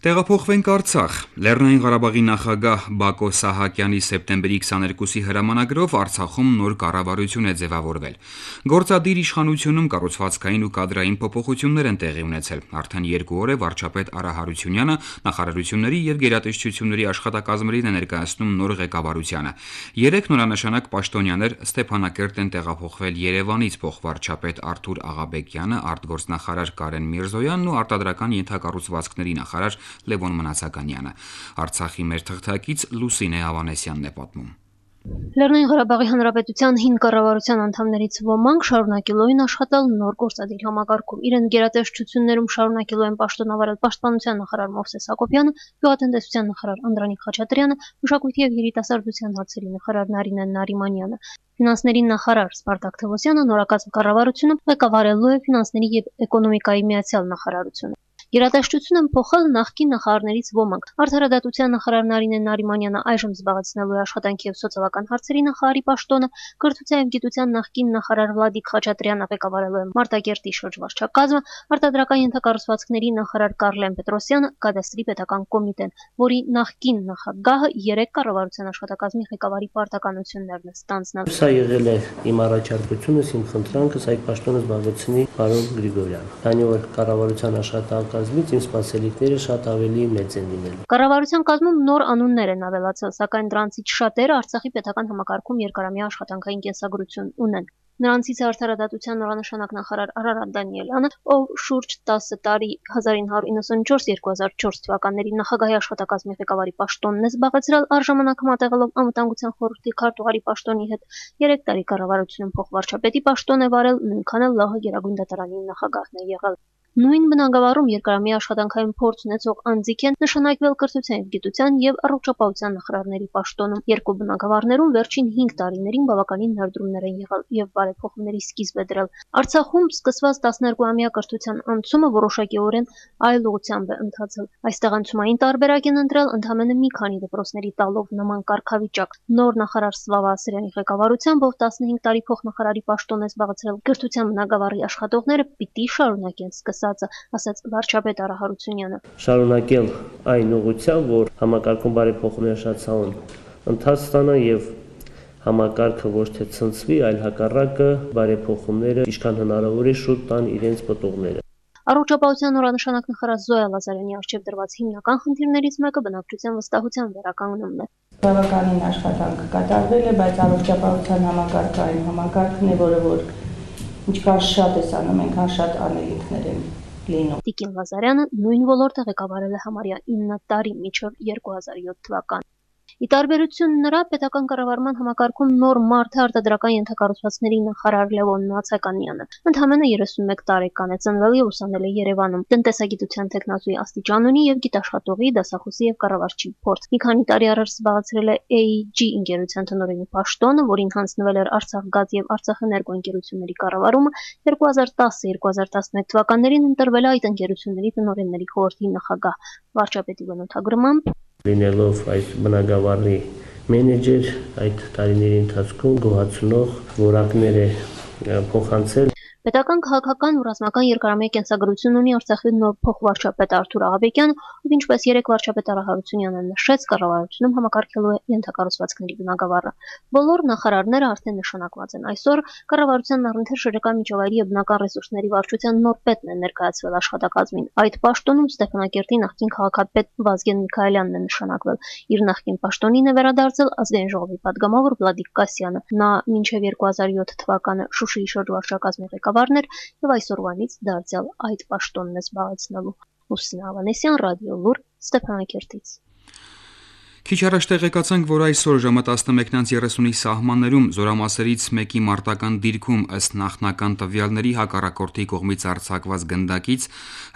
Տեղափոխվենք Արցախ։ Լեռնային Ղարաբաղի նախագահ Բակո Սահակյանի սեպտեմբերի 22-ի հրամանագրով Արցախում նոր կառավարություն է ձևավորվել։ Գործադիր իշխանությունում կառուցվածքային ու կադրային փոփոխություններ են տեղի ունեցել։ Արդեն 2 օր է վարչապետ Արա Հարությունյանը նախարարությունների եւ գերատեսչությունների աշխատակազմերին է ներկայացնում նոր ղեկավարությանը։ 3 նորանշանակ պաշտոնյաներ Ստեփանակերտ են տեղափոխվել Երևանից փոխվարչապետ Արթուր Աղաբեկյանը, արտգործնախարար Կարեն Միրզոյանն ու արտադրական ենթակառուցվածքների նախարար Լևոն Մնացականյանը։ Արցախի մեր թղթակից Լուսինե Ավանեսյանն է պատմում։ Լեռնային Ղարաբաղի Հանրապետության հին կառավարության անդամներից ոմանք շարունակելու են աշխատել նոր գործադիր համակարգում։ Իրեն գերատեսչություններում շարունակելու են պաշտոնավարել պաշտպանության նախարար Մովսես Հակոբյանը, գյուղատնտեսության նախարար Անդրանիկ Խաչատրյանը, մշակույթի եւ երիտասարդության հարցերի նախարար Նարինե Նարիմանյանը։ Ֆինանսների նախարար Սպարտակ Թևոսյանը նորակազմ կառավարությունը ղեկավարելու է ֆինանսների եւ էկոնոմիկայի միացյալ նախարարությունը։ Գերատեսչություն են փոխել նախկին նախարարներից ոմանք։ Արդարադատության նախարար Նարինե Նարիմանյանը այժմ զբաղեցնելու է աշխատանքի եւ սոցիալական հարցերի նախարարի պաշտոնը, կրթության եւ գիտության նախկին նախարար Վլադիկ Խաչատրյանը ղեկավարելու է Մարտակերտի շրջվարչակազմը, արտադրական ենթակառուցվածքների նախարար Կարլեն Պետրոսյանը կադաստրի պետական կոմիտեն, որի նախկին նախագահը 3 կառավարության աշխատակազմի ղեկավարի պարտականություններն է ստանձնել։ Սա եղել է իմ առաջարկությունս, իմ խնդրանքս այդ պաշտոնը զբաղեցնի պարոն Գրիգորյանը։ Քանի որ կառավարության աշխատակազմից իմ սպասելիքները շատ ավելի մեծ են լինելու։ Կառավարության կազմում նոր անուններ են ավելացել, սակայն դրանցից շատերը Արցախի պետական համակարգում երկարամյա աշխատանքային կենսագրություն ունեն։ Նրանցից է արդարադատության նորանշանակ նախարար Արարատ Դանիելյանը, ով շուրջ 10 տարի 1994-2004 թվականների նախագահի աշխատակազմի ղեկավարի պաշտոնն է զբաղեցրել, առժամանակ համատեղելով անվտանգության խորհրդի քարտուղարի պաշտոնի հետ 3 տարի կառավարությունում փոխվարչապետի պաշտոն է վարել, նույնքան էլ ԼՂՀ Գերագույն դատարանի նախագահն է եղել։ Նույն բնագավառում երկարամյա աշխատանքային փորձ ունեցող անձիկ են նշանակվել կրթության և գիտության և առողջապահության նախարարների պաշտոնում։ Երկու բնագավառներում վերջին 5 տարիներին բավականին ներդրումներ են եղել և բարեփոխումների սկիզբ է դրել։ Արցախում սկսված 12-ամյա կրթության անցումը որոշակիորեն այլ ուղղությամբ է ընթացել։ Այստեղ անցումային տարբերակ են ընտրել ընդամենը մի քանի դպրոցների տալով նման կարգավիճակ։ Նոր նախարար Սլավա Ասրյանի ղեկավարությամբ, ով 15 տարի փոխնախարարի պաշտոն է զբաղեցրել, կրթության բնագավառի աշխատողները պիտի շարունակեն ասաց վարչապետ Արա Հարությունյանը։ Շարունակել այն ուղղությամբ, որ համակարգում բարեփոխումներ շատացան ընթաց ստանան եւ համակարգը ոչ թե ցնցվի, այլ հակառակը բարեփոխումները ինչքան հնարավոր է շուտ տան իրենց պտուղները։ Առողջապահության նորանշանակ նախարար Զոյա Լազարյանի առջև դրված հիմնական խնդիրներից մեկը բնակչության վստահության վերականգնումն է։ Բավականին աշխատանք կատարվել է, բայց առողջապահության համակարգային համակարգն է, որը ինչքան շատ է անում, այնքան շատ անելիքներ են լինում։ Տիկին Լազարյանը նույն ոլորտը ղեկավարել է համարյա 9 տարի մինչև 2007 թվական։ Ի տարբերություն նրա, պետական կառավարման համակարգում նոր մարդ է արտադրական ենթակառուցվածքների նախարար Լևոն Նացականյանը։ Ընդամենը 31 տարեկան է, ծնվել և ուսանել է Երևանում։ Տնտեսագիտության տեխնացուի աստիճան ունի և գիտաշխատողի, դասախոսի և կառավարչի փորձ։ Մի քանի տարի առաջ զբաղեցրել է AEG ընկերության տնօրենի պաշտոնը, որին հանձնվել էր Արցախգազ և Արցախէներգո ընկերությունների կառավարումը, 2010-2011 թվականներին ընտրվել է այդ ընկերությունների տնօրենների խորհրդի նախագահ։ Վարչապետի բնութագրմամբ լինելով այս բնագավառի մենեջեր, այդ տարիների ընթացքում գոհացնող որակներ է փոխանցել։ Պետական քաղաքական ու ռազմական երկարամյա կենսագրություն ունի Արցախի նոր փոխվարչապետ Արթուր Աղաբեկյանը, ով ինչպես երեք վարչապետ Արա Հարությունյանը նշեց, կառավարությունում համակարգելու է ենթակառուցվածքների բնագավառը։ Բոլոր նախարարները արդեն նշանակված են։ Այսօր կառավարության առընթեր շրջակա միջավայրի և բնական ռեսուրսների վարչության նոր պետն է ներկայացվել աշխատակազմին։ Այդ պաշտոնում Ստեփանակերտի նախկին քաղաքապետ Վազգեն Միքայելյանն է նշանակվել։ Իր նախկին պաշտոնին է վերադարձել Ազգային ժողովի падգամավոր Վլադիկ Կասյանը։ Նա մինչև 2007 թվականը Շուշիի շրջվարչակազմի ղեկավարներ եւ այսօրվանից դարձյալ այդ պաշտոնն է զբաղեցնելու։ Լուսինե Ավանեսյան, Ռադիո Լուր, Ստեփանակերտից։ Քիչ առաջ տեղեկացանք, որ այսօր ժամը 11:30-ի սահմաններում զորամասերից մեկի մարտական դիրքում ըստ նախնական տվյալների հակառակորդի կողմից արձակված գնդակից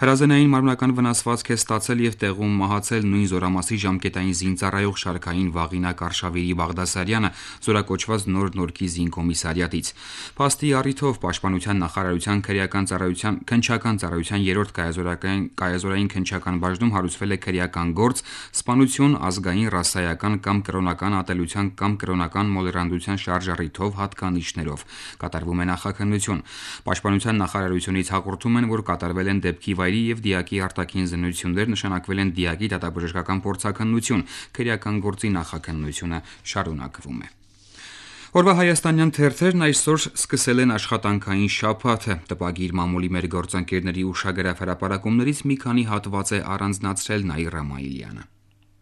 հրազենային մարմնական վնասվածք է ստացել եւ տեղում մահացել նույն զորամասի ժամկետային զինծառայող շարքային Վաղինակ Արշավիրի Բաղդասարյանը զորակոչված Նոր Նորքի զինկոմիսարիատից։ Փաստի առիթով Պաշտպանության նախարարության քննչական ծառայության 3-րդ կայազորային քննչական բաժնում հարուցվել է քրեական գործ սպանություն ազգային ռասայական կամ կրոնական ատելության կամ կրոնական մոլերանդության շարժառիթով հատկանիշներով կատարվում է նախաքննություն։ Պաշտպանության նախարարությունից հաղորդում են, որ կատարվել են դեպքի վայրի եւ դիակի արտաքին զննություններ, նշանակվել են դիակի դատաբժշկական փորձաքննություն, քրեական գործի նախաքննությունը շարունակվում է։ Օրվա հայաստանյան թերթերն այսօր սկսել են աշխատանքային շաբաթը։ Տպագիր մամուլի մեր գործընկերների ուշագրավ հրապարակումներից մի քանի հատված է առանձնացրել Նաիրա Մայիլյանը։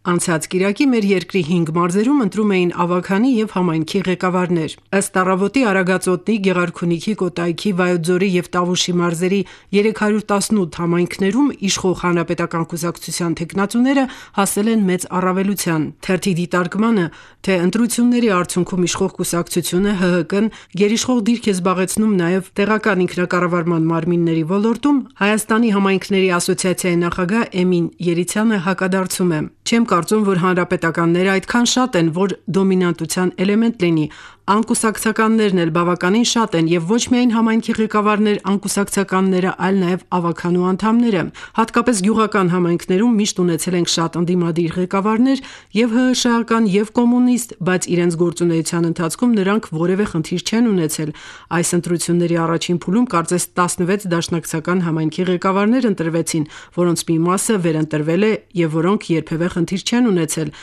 Անցած կիրակի մեր երկրի 5 մարզերում ընտրում էին ավագանի եւ համայնքի ղեկավարներ։ Ըստ առավոտի Արագածոտնի, Գեղարքունիքի, Կոտայքի, Վայոց-Ձորի եւ Տավուշի մարզերի 318 համայնքներում իշխող հանրապետական կուսակցության թեկնածուները հասել են մեծ առավելության։ Թերթի դիտարկմանը, թե ընտրությունների արդյունքում իշխող կուսակցությունը ՀՀԿ-ն գերիշխող դիրք է զբաղեցնում նաեւ տեղական ինքնակառավարման մարմինների ոլորտում, Հայաստանի համայնքների ասոցիացիայի նախագահ Էմին Երիցյանը հակադարձում է։ Չեմ կարծում, որ հանրապետականները այդքան շատ են, որ դոմինանտության էլեմենտ լինի։ Անկուսակցականներն էլ բավականին շատ են եւ ոչ միայն համայնքի ղեկավարներ, անկուսակցականները, այլ նաեւ ավագանու անդամները։ Հատկապես գյուղական համայնքներում միշտ ունեցել ենք շատ ընդդիմադիր ղեկավարներ եւ ՀՀՇ-ական եւ կոմունիստ, բայց իրենց գործունեության ընթացքում նրանք որևէ խնդիր չեն ունեցել։ Այս ընտրությունների առաջին փուլում կարծես 16 դաշնակցական համայնքի ղեկավարներ ընտրվեցին, որոնց մի մասը վերընտրվել է եւ որոնք երբևէ խնդիր չեն ունեցել։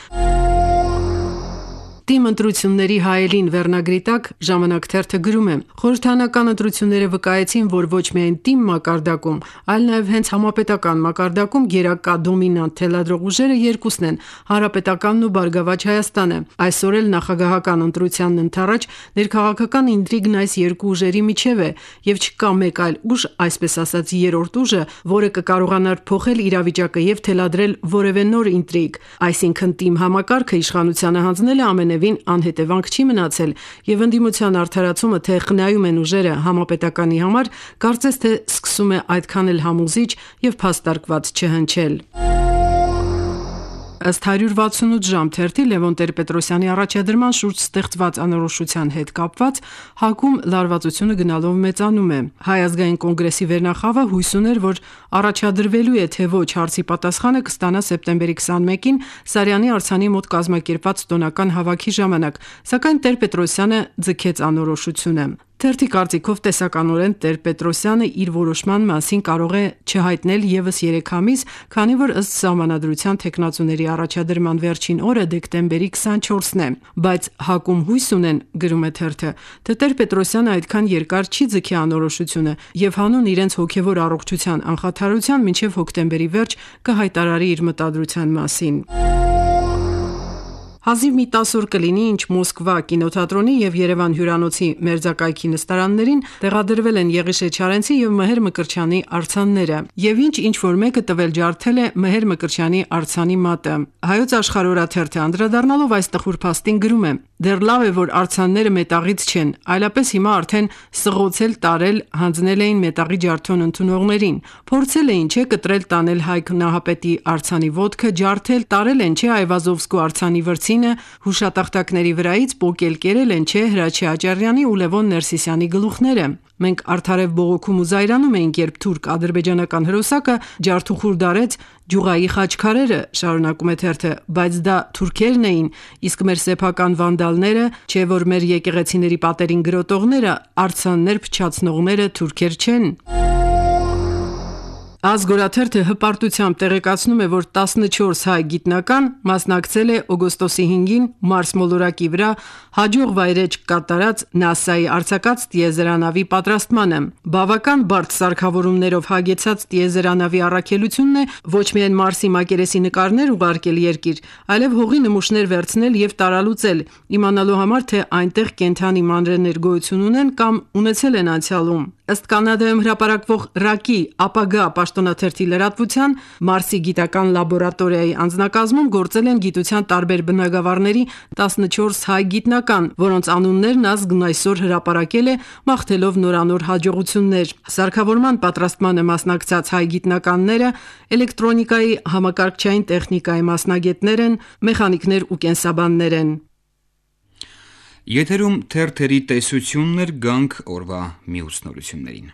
Տիմ ընտրությունների հայելին վերնագրի տակ ժամանակ թերթը գրում է. խորհրդարանական ընտրությունները վկայեցին, որ ոչ միայն տիմ մակարդակում, այլ նաև հենց համապետական մակարդակում գերակա դոմինանտ թելադրող ուժերը երկուսն են՝ Հանրապետականն ու Բարգավաճ Հայաստանը։ Այսօր էլ նախագահական ընտրությանն ընդառաջ ներքաղաքական ինտրիգն այս երկու ուժերի միջև է, եւ չկա մեկ այլ ուժ, այսպես ասած երրորդ ուժը, որը կկարողանար փոխել իրավիճակը եւ թելադրել որևէ նոր ինտրիգ։ Այսինքն տիմ համակարգը իշխանությանը հանձնել է ամենևին անհետևանք չի մնացել, եւ ընդդիմության արդարացումը թե խնայում են ուժերը համապետականի համար, կարծես թե սկսում է այդքան էլ համոզիչ եւ փաստարկված չհնչել։ Ըստ 168 ժամ թերթի Լևոն Տեր-Պետրոսյանի առաջադրման շուրջ ստեղծված անորոշության հետ կապված ՀԱԿ-ում լարվածությունը գնալով մեծանում է։ Հայ ազգային կոնգրեսի վերնախավը հույս ուներ, որ առաջադրվելու է թե ոչ հարցի պատասխանը կստանա սեպտեմբերի 21-ին Սարյանի արձանի մոտ կազմակերպված տոնական հավաքի ժամանակ, սակայն Տեր-Պետրոսյանը ձգեց անորոշությունը։ Թերթի կարծիքով տեսականորեն Տեր-Պետրոսյանը իր որոշման մասին կարող է չհայտնել եւս 3 ամիս, քանի որ ըստ սահմանադրության թեկնածուների առաջադրման վերջին օրը դեկտեմբերի 24-ն է, բայց ՀԱԿ-ում հույս ունեն, գրում է թերթը, թե Տեր-Պետրոսյանը այդքան երկար չի ձգի անորոշությունը եւ հանուն իրենց հոգեվոր առողջության անխաթարության մինչեւ հոկտեմբերի վերջ կհայտարարի իր մտադրության մասին։ Հազիվ մի 10 օր կլինի, ինչ Մոսկվա կինոթատրոնի եւ Երևան հյուրանոցի մերձակայքի նստարաններին տեղադրվել են Եղիշե Չարենցի եւ Մհեր Մկրտչյանի արձանները, եւ ինչ որ մեկը տվել ջարդել է Մհեր Մկրտչյանի արձանի մատը։ Հայոց աշխարհ օրաթերթը անդրադառնալով այս տխուր փաստին գրում է. դեռ լավ է, որ արձանները մետաղից չեն, այլապես հիմա արդեն սղոցել տարել հանձնել էին մետաղի ջարդոն ընդունողներին։ Փորձել էին չէ կտրել տանել Հայկ Նահապետի արձանի ոտքը, ջարդել տարել են չէ Այվազովսկու արձանի վրձինը, հուշատախտակների վրայից պոկել կերել են չէ Հրաչի Աճարյանի ու Լևոն Ներսիսյանի գլուխները։ Մենք արդարև բողոքում ու զայրանում էինք, երբ թուրք-ադրբեջանական հրոսակը ջարդուխուր դարեց Ջուղայի խաչքարերը, շարունակում է թերթը, բայց դա թուրքերն էին, իսկ մեր սեփական վանդալները, չէ որ մեր եկեղեցիների պատերին գրոտողները, արձաններ փչացնողները թուրքեր չեն։ Ազգորաթերթը հպարտությամբ տեղեկացնում է, որ 14 հայ գիտնական մասնակցել է օգոստոսի 5-ին Մարս մոլորակի վրա հաջող վայրեջք կատարած ՆԱՍԱ-ի արձակած տիեզերանավի պատրաստմանը։ Բավական բարդ սարքավորումներով հագեցած տիեզերանավի առաքելությունն է ոչ միայն Մարսի մակերեսի նկարներ ուղարկել երկիր, այլև հողի նմուշներ վերցնել եւ տարալուծել, իմանալու համար թե այնտեղ կենդանի մանրէներ գոյություն ունեն կամ ունեցել են անցյալում։ Ըստ Կանադայում հրապարակվող ՌԱԿ-ի ապագա պաշտոնաթերթի լրատվության, Մարսի գիտական լաբորատորիայի անձնակազմում գործել են գիտության տարբեր բնագավառների 14 հայ գիտնական, որոնց անուններն ազգն այսօր հրապարակել է, մաղթելով նորանոր հաջողություններ։ Սարքավորման պատրաստմանը մասնակցած հայ գիտնականները էլեկտրոնիկայի, համակարգչային տեխնիկայի մասնագետներ են, մեխանիկներ ու կենսաբաններ են։ Եթերում թերթերի տեսություններ, գանք օրվա մյուս նորություններին։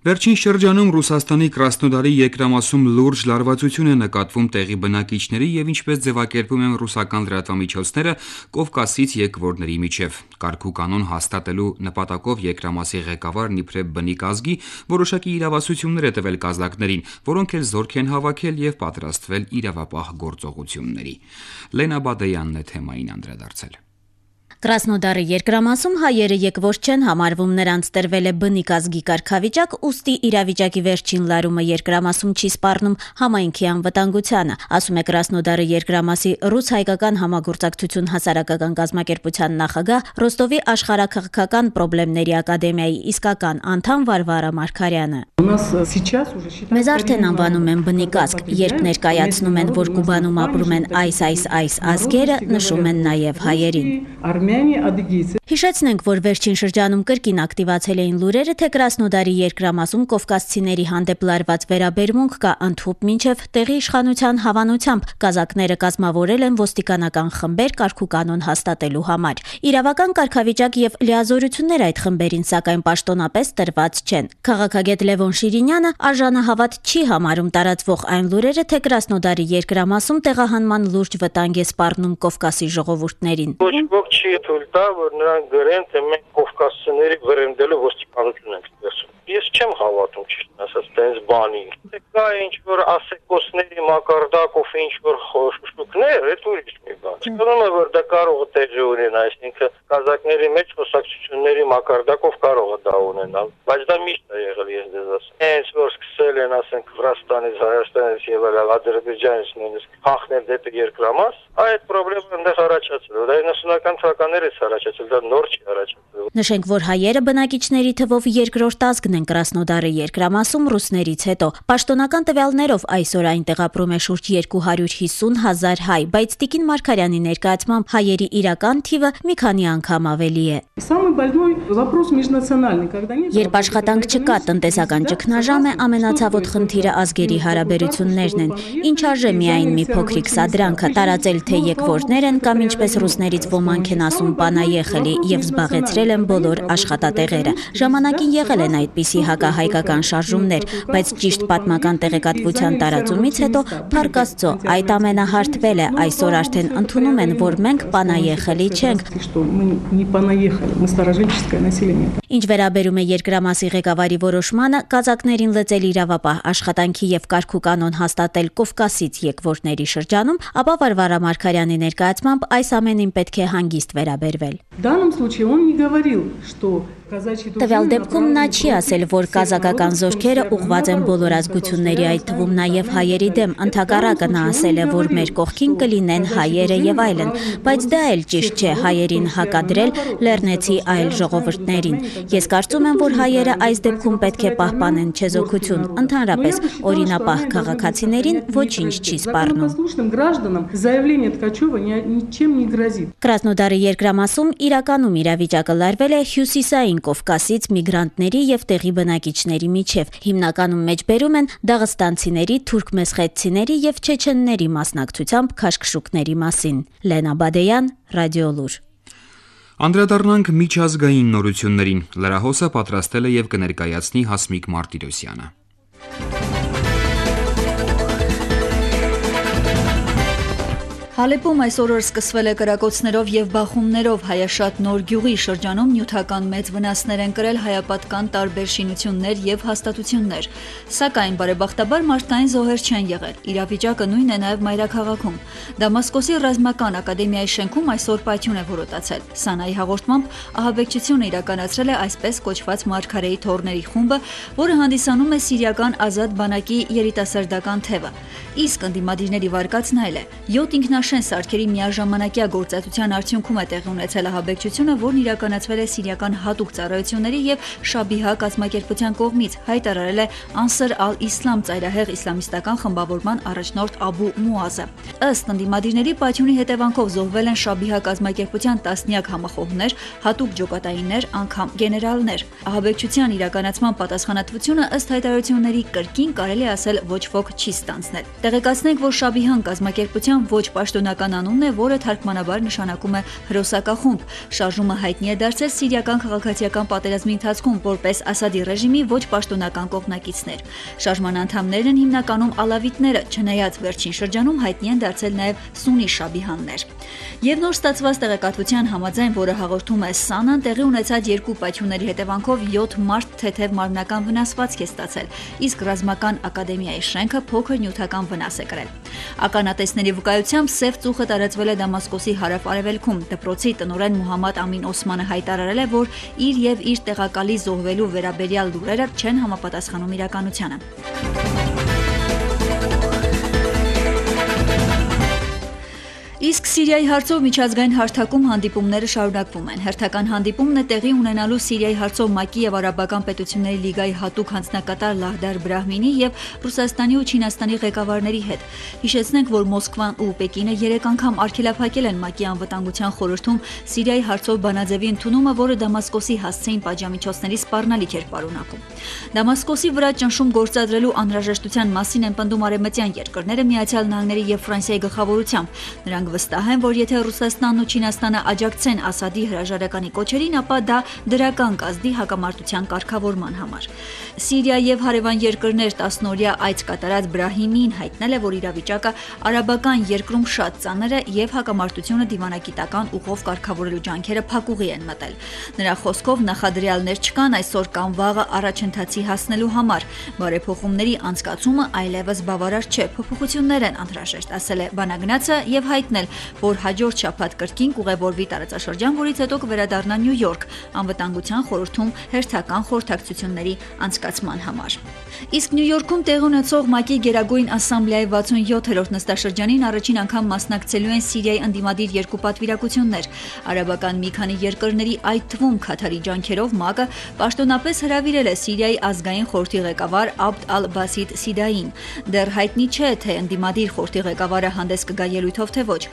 Վերջին շրջանում Ռուսաստանի Կրասնոդարի երկրամասում լուրջ լարվածություն է նկատվում տեղի բնակիչների եւ ինչպես ձևակերպում են ռուսական լրատվամիջոցները Կովկասից եկվորների միջև։ Կարգուկանոն հաստատելու նպատակով երկրամասի ղեկավարն իբրև բնիկ ազգի որոշակի իրավասություններ է տվել կազակներին, որոնք էլ զորք են հավաքել եւ պատրաստվել իրավապահ գործողությունների։ Լենա Բադեյանն է թեմային անդրադարձել։ Կրասնոդարի երկրամասում հայերը եկվոր չեն համարվում, նրանց տրվել է բնիկ ազգի կարգավիճակ, ուստի իրավիճակի վերջին լարումը երկրամասում չի սպառնում համայնքի անվտանգությանը, ասում է Կրասնոդարի երկրամասի ռուս-հայկական համագործակցություն հասարակական կազմակերպության նախագահ, Ռոստովի աշխարհաքաղաքական պրոբլեմների ակադեմիայի իսկական անդամ Վարվարա Մարգարյանը։ Մեզ արդեն անվանում են բնիկ ազգ, երբ ներկայացնում են, որ Կուբանում ապրում են այս ազգերը, նշում են նաև հայերին։ Հիշեցնենք, որ վերջին շրջանում կրկին ակտիվացել էին լուրերը, թե Կրասնոդարի երկրամասում կովկասցիների հանդեպ լարված վերաբերմունք կա ընդհուպ մինչև տեղի իշխանության հավանությամբ կազակները կազմավորել են ոստիկանական խմբեր կարգուկանոն հաստատելու համար։ Իրավական կարգավիճակ եւ լիազորություններ այդ խմբերին սակայն պաշտոնապես տրված չեն։ Քաղաքագետ Լևոն Շիրինյանը արժանահավատ չի համարում տարածվող այն լուրերը, թե Կրասնոդարի երկրամասում տեղահանման լուրջ վտանգ է սպառնում Կովկասի ժողովուրդներին։ Չի թույլ տա, որ նրանք գրեն, թե մենք կովկասցիների վրեմդելու ոստիկանություն ենք տեսնում։ ես չեմ հավատում ճիշտ ասած տենց բանի։ Կա ինչ-որ ասեկոսների մակարդակով ինչ-որ խոշուկներ, այդ ուրիշ մի բան։ Չկարողում է որ դա կարող է տեղի ունենալ, այսինքն կազակների մեջ խոսակցությունների մակարդակով կարող է դա ունենալ, բայց դա միշտ է եղել, ես դες ասեմ։ Հենց որ սկսել են, ասենք, Վրաստանից, Հայաստանից եւ Ադրբեջանից նույնիսկ խախնել դեպի երկրամաս, այդ խնդրը այնտեղ առաջացել է։ Դա 90-ական թվականներից առաջացել, դա նոր չի առաջացել։ Նշենք, որ հայերը բնակիչների թվով երկրորդ ազգն են Կրասնոդարի երկրամասում ռուսներից հետո։ Պաշտոնական տվյալներով այսօր այնտեղ ապրում է շուրջ 250,000 հայ, բայց Տիկին Մարգարյանի ներկայացմամբ հայերի իրական թիվը մի քանի անգամ ավելի է։ Երբ աշխատանք չկա, տնտեսական ճգնաժամ է, ամենացավոտ խնդիրը ազգերի հարաբերություններն են։ Ինչ արժե միայն մի փոքրիկ սադրանքը տարածել թե եկվորներ են կամ ինչպես ռուսներից ոմանք են ասում պանայեխելի եւ զբաղեցրել են բոլոր աշխատատեղերը։ Ժամանակին եղել են այդպիսի հակահայկական շարժումներ, բայց ճիշտ պատմական տեղեկատվության տարածումից հետո փառք Աստծո, այդ ամենը հարթվել է, այսօր արդեն ընդունում են, որ մենք պանայեխելի չենք։ Ինչ վերաբերում է երկրամասի ղեկավարի որոշմանը, կազակներին լծել իրավապահ աշխատանքի եւ կարգուկանոն հաստատել Կովկասից եկվորների շրջանում, ապա Վարվարա Մարգարյանի ներկայացմամբ այս ամենին պետք է հանգիստ վերաբերվել։ Տվյալ դեպքում նա չի ասել, որ կազակական զորքերը ուղղված են բոլոր ազգությունների, այդ թվում նաև հայերի դեմ, ընդհակառակը նա ասել է, որ մեր կողքին կլինեն հայերը եւ այլն, բայց դա էլ ճիշտ չէ հայերին հակադրել լեռնեցի այլ ժողովուրդներին։ Ես կարծում եմ, որ հայերը այս դեպքում պետք է պահպանեն չեզոքություն, ընդհանրապես օրինապահ քաղաքացիներին ոչինչ չի սպառնում։ Կրասնոդարի երկրամասում իրականում իրավիճակը լարվել է հյուսիսային Կովկասից միգրանտների եւ տեղի բնակիչների միջև, հիմնականում մեջբերում են դաղստանցիների, թուրքմեսխետցիների եւ չեչենների մասնակցությամբ քաշքշուկների մասին։ Լենա Բադեյան, Ռադիոլուր։ Անդրադառնանք միջազգային նորություններին։ Լրահոսը պատրաստել է եւ կներկայացնի Հասմիկ Մարտիրոսյանը։ Հալեպում այս օրը սկսվել է կրակոցներով եւ բախումներով հայաշատ նոր գյուղի շրջանում նյութական մեծ վնասներ են կրել հայապատկան տարբեր շինություններ եւ հաստատություններ։ Սակայն բարեբախտաբար մարդկային զոհեր չեն եղել։ Իրավիճակը նույնն է նաեւ մայրաքաղաքում։ Դամասկոսի ռազմական ակադեմիայի շենքում այսօր պայթյուն է որոտացել։ Սանայի հաղորդմամբ ահաբեկչությունը իրականացրել է այսպես կոչված Մարգարեի թոռների խումբը, որը հանդիսանում է սիրիական ազատ բանակի երիտասարդական թևը։ Իսկ ընդդիմադիրների վարկածն այլ է։ 7 ինքնաշեն սարքերի միաժամանակյա գործածության արդյունքում է տեղի ունեցել ահաբեկչությունը, որն իրականացվել է սիրիական հատուկ ծառայությունների եւ Շաբիհա կազմակերպության կողմից, հայտարարել է Անսր ալ-Իսլամ ծայրահեղ իսլամիստական խմբավորման առաջնորդ Աբու Մուազը։ Ըստ ընդդիմադիրների պայթյունի հետևանքով զոհվել են Շաբիհա կազմակերպության տասնյակ համախոհներ, հատուկ ջոկատայիններ, անգամ գեներալներ։ Ահաբեկչության իրականացման պատասխանատվությունը ըստ հայտարարությունների կրկին կարելի ասել ոչ ոք չի ստանձնել։ Տեղեկացնենք, որ Շաբիհան կազմակերպության ոչ պաշտոնական անունն է, որը թարգմանաբար նշանակում է հրոսակախումբ։ Շարժումը հայտնի է դարձել սիրիական քաղաքացիական պատերազմի ընթացքում որպես Ասադի ռեժիմի ոչ պաշտոնական կողմնակիցներ։ Շարժման անդամներն են հիմնականում ալավիտները, չնայած վերջին շրջանում հայտնի են դարձել նաև սուննի շաբիհաններ։ Եվ նոր ստացված տեղեկատվության համաձայն, որը հաղորդում է Սանան, տեղի ունեցած երկու պայթյունների հետևանքով 7 մարդ թեթև մարմնական վնասվածք է ստացել, իսկ ռազմական ակադեմիայի շենքը փոքր նյութական վնաս է կրել։ Ականատեսների վկայությամբ սև ծուխը տարածվել է Դամասկոսի հարավ-արևելքում։ Դպրոցի տնօրեն Մուհամմադ Ամին Օսմանը հայտարարել է, որ իր եւ իր տեղակալի զոհվելու վերաբերյալ լուրերը չեն համապատասխանում իրականությանը։ Իսկ Սիրիայի հարցով միջազգային հարթակում հանդիպումները շարունակվում են։ Հերթական հանդիպումն է տեղի ունենալու Սիրիայի հարցով ՄԱԿ-ի եւ Արաբական պետությունների լիգայի հատուկ հանձնակատար Լահդար Բրահմինի եւ Ռուսաստանի ու Չինաստանի ղեկավարների հետ։ Հիշեցնենք, որ Մոսկվան ու Պեկինը 3 անգամ արգելափակել են ՄԱԿ-ի անվտանգության խորհրդում Սիրիայի հարցով բանաձևի ընդունումը, որը Դամասկոսի հասցեին պատժամիջոցների սպառնալիք էր պարունակում։ Դամասկոսի վրա ճնշում գործադրելու անհրաժեշտության մասին են պնդում արևմտյան երկրները Միացյալ Նահանգների եւ Ֆրանսիայի գլխավորությամբ։ Նրանք վստահ են, որ եթե Ռուսաստանն ու Չինաստանը աջակցեն Ասադի հրաժարականի կոչերին, ապա դա դրական կազդի հակամարտության կարգավորման համար։ Սիրիա եւ հարևան երկրներ 10-օրյա այց կատարած Բրահիմին հայտնել է, որ իրավիճակը արաբական երկրում շատ ծանր է եւ հակամարտությունը դիվանագիտական ուղով կարգավորելու ջանքերը փակուղի են մտել։ Նրա խոսքով նախադրյալներ չկան այսօր կամ վաղը առաջընթացի հասնելու համար։ Բարեփոխումների անցկացումը այլևս բավարար չէ, փոփոխություններ են անհրաժեշտ, ասել է բանագնացը եւ հայտնել, որ հաջորդ շաբաթ կրկին կուղևորվի տարածաշրջան, որից հետո կվերադառնա Նյու Յորք անվտանգության խորհրդում հերթական խորհրդակցությունների անցկացման համար։ Իսկ Նյու Յորքում տեղի ունեցող ՄԱԿ-ի Գերագույն ասամբլեայի 67-րդ նստաշրջանին առաջին անգամ մասնակցելու են Սիրիայի ընդդիմադիր երկու պատվիրակություններ։ Արաբական մի քանի երկրների, այդ թվում Քաթարի ջանքերով ՄԱԿ-ը պաշտոնապես հրավիրել է Սիրիայի ազգային խորհրդի ղեկավար Աբդ ալ-Բասիտ Սիդային։ Դեռ հայտնի չէ, թե ընդդիմադիր խորհրդի ղեկավարը հանդես կգա ելույթով, թե ոչ։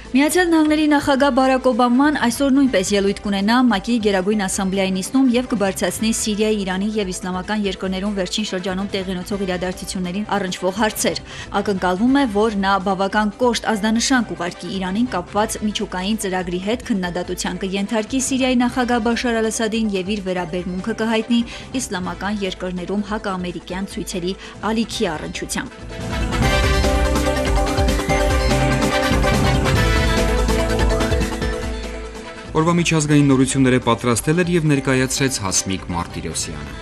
Միացյալ Նահանգների նախագահ Բարակ Օբաման այսօր նույնպես ելույթ կունենա ՄԱԿ-ի Գերագույն ասամբլեայի նիստում եւ կբարձրացնի Սիրիայի, Իրանի եւ իսլամական երկրներում վերջին շրջանում տեղի ունեցող իրադարձություններին առնչվող հարցեր։ Ակնկալվում է, որ նա բավական կոշտ ազդանշան կուղարկի Իրանին կապված միջուկային ծրագրի հետ, քննադատության կենթարկի Սիրիայի նախագահ Բաշար ալ-Ասադին եւ իր վերաբերմունքը կհայտնի իսլամական երկրներում հակաամերիկյան ցույցերի ալիքի առնչությամբ։ Օրվա միջազգային նորությունները պատրաստել էր եւ ներկայացրեց Հասմիկ Մարտիրոսյանը։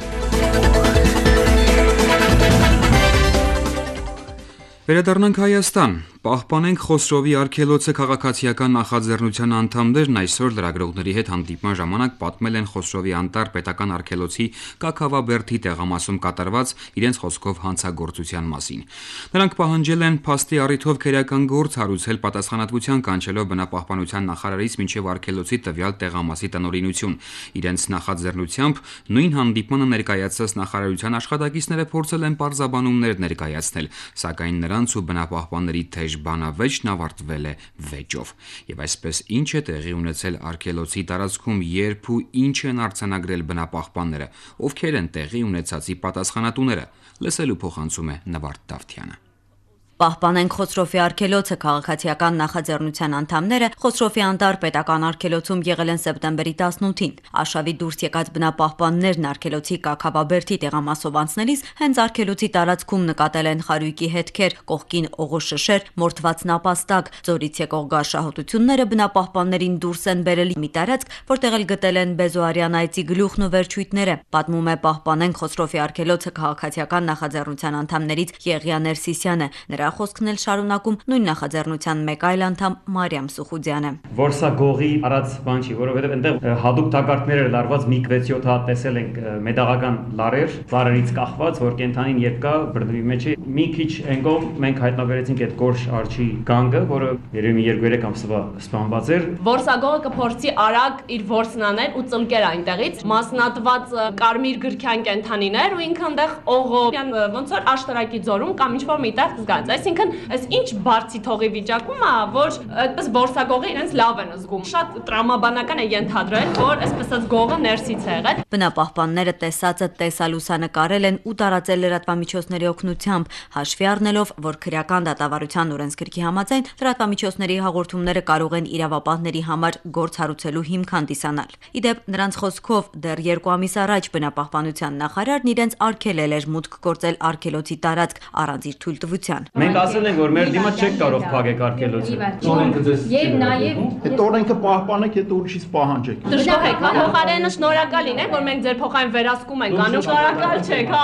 Վերադառնանք Հայաստան։ Պահպանենք Խոսրովի արգելոցը քաղաքացիական նախաձեռնության անդամներն այսօր լրագրողների հետ հանդիպման ժամանակ պատմել են Խոսրովի անտառ պետական արգելոցի Կաքավաբերդի տեղամասում կատարված իրենց խոսքով հանցագործության մասին։ Նրանք պահանջել են փաստի առիթով քերական գործ հարուցել պատասխանատվության կանչելով բնապահպանության նախարարից մինչև արգելոցի տվյալ տեղամասի տնօրինություն։ Իրենց նախաձեռնությամբ նույն հանդիպմանը ներկայացած նախարարության աշխատակիցները փորձել են պարզաբանումներ ներկայացնել, սակայն նրանց ու բնապահպանների թեժ բանավեճն ավարտվել է վեճով։ Եվ այսպես ինչ է տեղի ունեցել արգելոցի տարածքում, երբ ու ինչ են արձանագրել բնապահպանները, ովքեր են տեղի ունեցածի պատասխանատուները, լսելու փոխանցում է Նվարդ Դավթյանը։ Պահպանենք Խոսրովի արգելոցը քաղաքացիական նախաձեռնության անդամները Խոսրովի անտառ պետական արգելոցում եղել են սեպտեմբերի 18-ին։ Արշավի դուրս եկած բնապահպաններն արգելոցի Կաքավաբերդի տեղամասով անցնելիս հենց արգելոցի տարածքում նկատել են խարույկի հետքեր, կողքին օղոշշեր, մորթված նապաստակ, ձորից եկող գարշահոտությունները բնապահպաններին դուրս են բերել մի տարածք, որտեղ էլ գտել են Բեզոարյան այծի գլուխն ու վերջույթները։ Պատմում է Պահպանենք Խոսրովի արգելոցը քաղաքացիական նախաձեռնության անդամներից Եղիա Ներսիսյանը։ Խոսքն էլ շարունակում նույն նախաձեռնության մեկ այլ անդամ Մարիամ Սուխուդյանը։ Որ սա գողի արած բան չի, որովհետև այնտեղ հատուկ տակառներ էր լարված, մի 6-7 հատ տեսել ենք մետաղական լարեր, ծառերից կախված, որ կենթանին երբ կա բռնվի մեջ է։ Մի քիչ այնկողմ մենք հայտնաբերեցինք այդ գորշ արջի գանգը, որը երևի 2-3 ամսվա սպանված էր։ Որսագողը կփորձի արագ իր որսն անել ու ծլկել այնտեղից, մասնատված կարմիր գրքյան կենթանիներ ու ինքը այնտեղ օղով ոնց որ աշտարակի ձորում կամ ինչ-որ միտեղ զգաց։ Այսինքն, այս ինչ բարձի թողի վիճակում է, որ այդպես որսագողը իրենց լավ են զգում։ Շատ տրամաբանական է ենթադրել, որ այսպես ասած գողը ներսից է եղել։ Բնապահպանները տեսածը տեսալուսանկարել են ու տարածել լրատվամիջոցների օգնությամբ, հաշվի առնելով, որ քրեական դատավարության օրենսգրքի համաձայն լրատվամիջոցների հաղորդումները կարող են իրավապահների համար գործ հարուցելու հիմք հանդիսանալ։ Ի դեպ, նրանց խոսքով դեռ 2 ամիս առաջ բնապահպանության նախարարն իրենց արգելել էր մուտք գործել արգելոցի տարածք առանց իր թույլտվության։ Մենք ասել ենք, որ մեր դիմաց չեք կարող փակեք արգելոցը։ Եվ նաև այդ օրենքը պահպանեք, այդ ուրիշից պահանջեք։ Դժոխեք, հա, փոխարենը շնորհակալ լինենք, որ մենք ձեր փոխային վերահսկում ենք անում, շնորհակալ չեք, հա,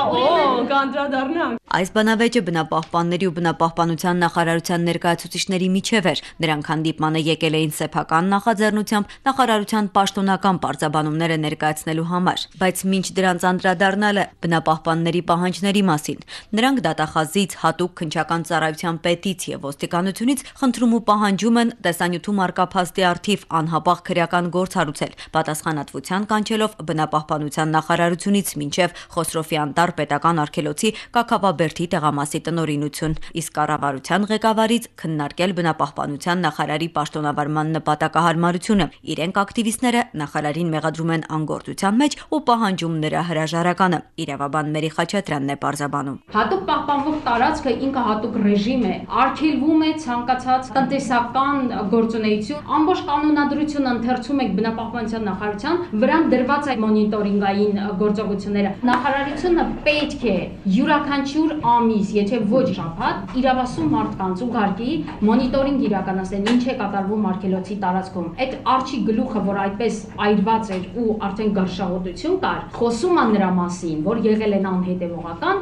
կանդրադառնանք։ Այս բանավեճը բնապահպանների ու բնապահպանության նախարարության ներկայացուցիչների միջև էր։ Նրանք հանդիպմանը եկել էին սեփական նախաձեռնությամբ նախարարության պաշտոնական պարզաբանումները ներկայացնելու համար, բայց մինչ դրանց անդրադառնալը բնապահպանների պահանջների մասին, նրանք դատախազից հատուկ քննչական ծառայության պետից եւ ոստիկանությունից խնդրում ու պահանջում են տեսանյութում արկա փաստի առթիվ անհապաղ քրեական գործ հարուցել, պատասխանատվության կանչելով բնապահպանության նախարարությունից մինչև Խոսրովի անտառ պետական արգելոցի Կաքավաբերդի Բերդի տեղամասի տնօրինություն, իսկ կառավարության ղեկավարից քննարկել բնապահպանության նախարարի պաշտոնավարման նպատակահարմարությունը։ Իրենք ակտիվիստները նախարարին մեղադրում են անգործության մեջ ու պահանջում նրա հրաժարականը։ Իրավաբան Մերի Խաչատրյանն է պարզաբանում։ Հատուկ պահպանվող տարածքը ինքը հատուկ ռեժիմ է, արգելվում է ցանկացած տնտեսական գործունեություն, ամբողջ կանոնադրությունը ընթերցում եք բնապահպանության նախարարության, վրան դրված է մոնիտորինգային գործողությունները։ Նախարարությունը պետք է յուրաքանչյուր ամիս, եթե ոչ շաբաթ, իրավասու մարդկանց ուղարկի մոնիտորինգ իրականացնել, ինչ է կատարվում արգելոցի տարածքում։ Այդ արջի գլուխը, որ այդպես այրված էր ու արդեն գարշահոտություն կար, խոսում է նրա մասին, որ եղել են անհետևողական,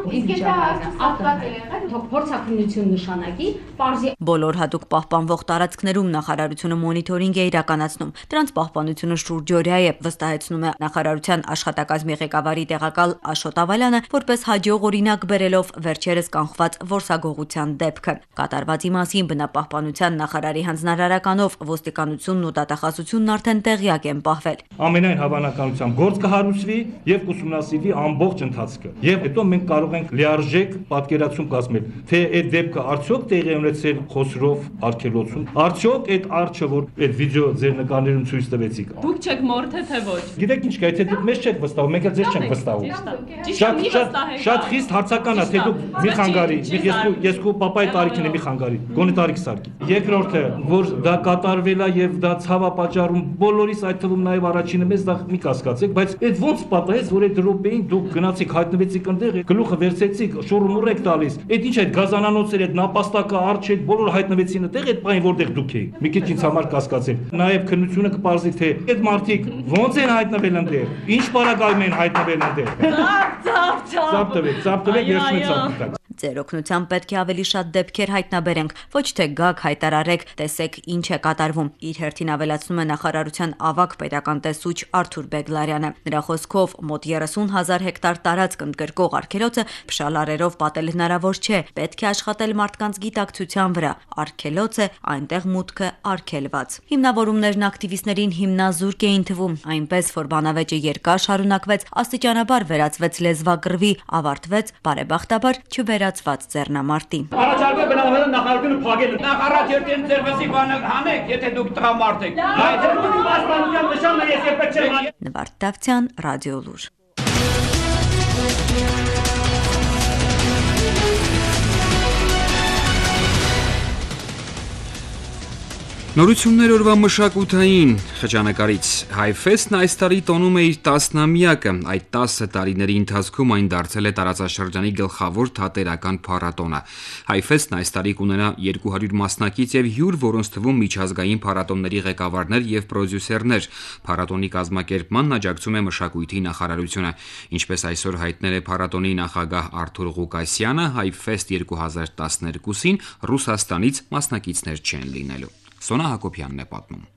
փորձաքննություն նշանակի, պարզի բոլոր հատուկ պահպանվող տարածքներում նախարարությունը մոնիտորինգ է իրականացնում։ Դրանց պահպանությունը շուրջօրյա է, վստահեցնում է նախարարության աշխատակազմի ղեկավարի տեղակալ Աշոտ Ավալյանը, որպես հաջող օրինակ բերելով վերջերս կանխված որսագողության դեպքը։ Կատարվածի մասին բնապահպանության նախարարի հանձնարարականով ոստիկանությունն ու դատախազությունն արդեն տեղյակ են պահվել։ Ամենայն հավանականությամբ գործ կհարուցվի եւ կուսումնասիրվի ամբողջ ընթացքը։ Եվ հետո մենք կարող ենք լիարժեք պատկերացում կազմել, թե այդ դեպքը արդյոք տեղի ունեցել Խոսրով արգելոցում, արդյոք այդ արջը, որ այդ վիդեո ձեր նկարներում ցույց տվեցիք։ Դուք չեք մորթե թե ոչ։ Գիտեք ինչ կա, թե դուք մեզ չեք վստահում, մենք էլ ձեզ չենք վստահում։ Շատ խիստ հարցական է, թե դուք մի խանգարի, ես քո պապայի տարիքին եմ մի խանգարի, գոնե տարիք սարքի։ Երկրորդը, որ դա կատարվել է եւ դա ցավ է պատճառում բոլորիս, այդ թվում նաեւ առաջինը մեզ դա մի կասկածեք, բայց այդ ոնց պատահեց, որ այդ րոպեին դուք գնացիք հայտնվեցիք այնտեղ, գլուխը վերցեցիք, շուռումուռ եք տալիս։ Այդ ինչ այդ գազանանոցերը, այդ նապաստակը, արջը, բոլորը հայտնվեցին այնտեղ, այդ բանը որտեղ դուք էիք։ Մի քիչ ինձ համար կասկածել։ Նաեւ քննությունը կպարզի, թե այդ մարդիկ ոնց են հայտնվել այնտեղ, ինչ պարագայում են հայտնվել այնտեղ։ Ծափ տվեք, ես չեմ Ձեր օգնությամբ պետք է ավելի շատ դեպքեր հայտնաբերենք, ոչ թե գաք հայտարարեք, տեսեք ինչ է կատարվում։ Իր հերթին ավելացնում է նախարարության ավագ պետական տեսուչ Արթուր Բեգլարյանը։ Նրա խոսքով մոտ 30,000 հեկտար տարածք ընդգրկող արգելոցը փշալարերով պատել հնարավոր չէ, պետք է աշխատել մարդկանց գիտակցության վրա։ Արգելոց է, այնտեղ մուտքը արգելված։ Հիմնավորումներն ակտիվիստներին հիմնազուրկ էին թվում, այնպես որ բանավեճը երկար շարունակվեց, աստիճանաբար վերածվեց լեզվակռվի, ավարտվեց բարեբախտաբար չվերացված ձեռնամարտի։ Առաջարկը բնավորության նախարարությունը փակել է։ Նախարար երկեն ձեր վզի բանը հանեք, եթե դուք տղամարդ եք։ Այդ պաշտպանության նշանը ես երբեք չեմ։ Նվարդ Դավթյան, Ռադիո Լուր։ Նորություններ օրվա մշակութային խճանկարից Հայֆեստն այս տարի տոնում է իր 10-ամյակը, այդ 10 տարիների ընթացքում այն դարձել է տարածաշրջանի գլխավոր թատերական փառատոնը։ Հայֆեստն այս տարի կունենա 200 մասնակից եւ հյուր, որոնց թվում միջազգային փառատոնների ղեկավարներ եւ պրոդյուսերներ։ Փառատոնի կազմակերպմանն աջակցում է մշակույթի նախարարությունը։ Ինչպես այսօր հայտնել է փառատոնի նախագահ Արթուր Ղուկասյանը, Հայֆեստ 2012-ին Ռուսաստանից մասնակիցներ չեն լինելու։ Սոնա Հակոբյանն է պատմում։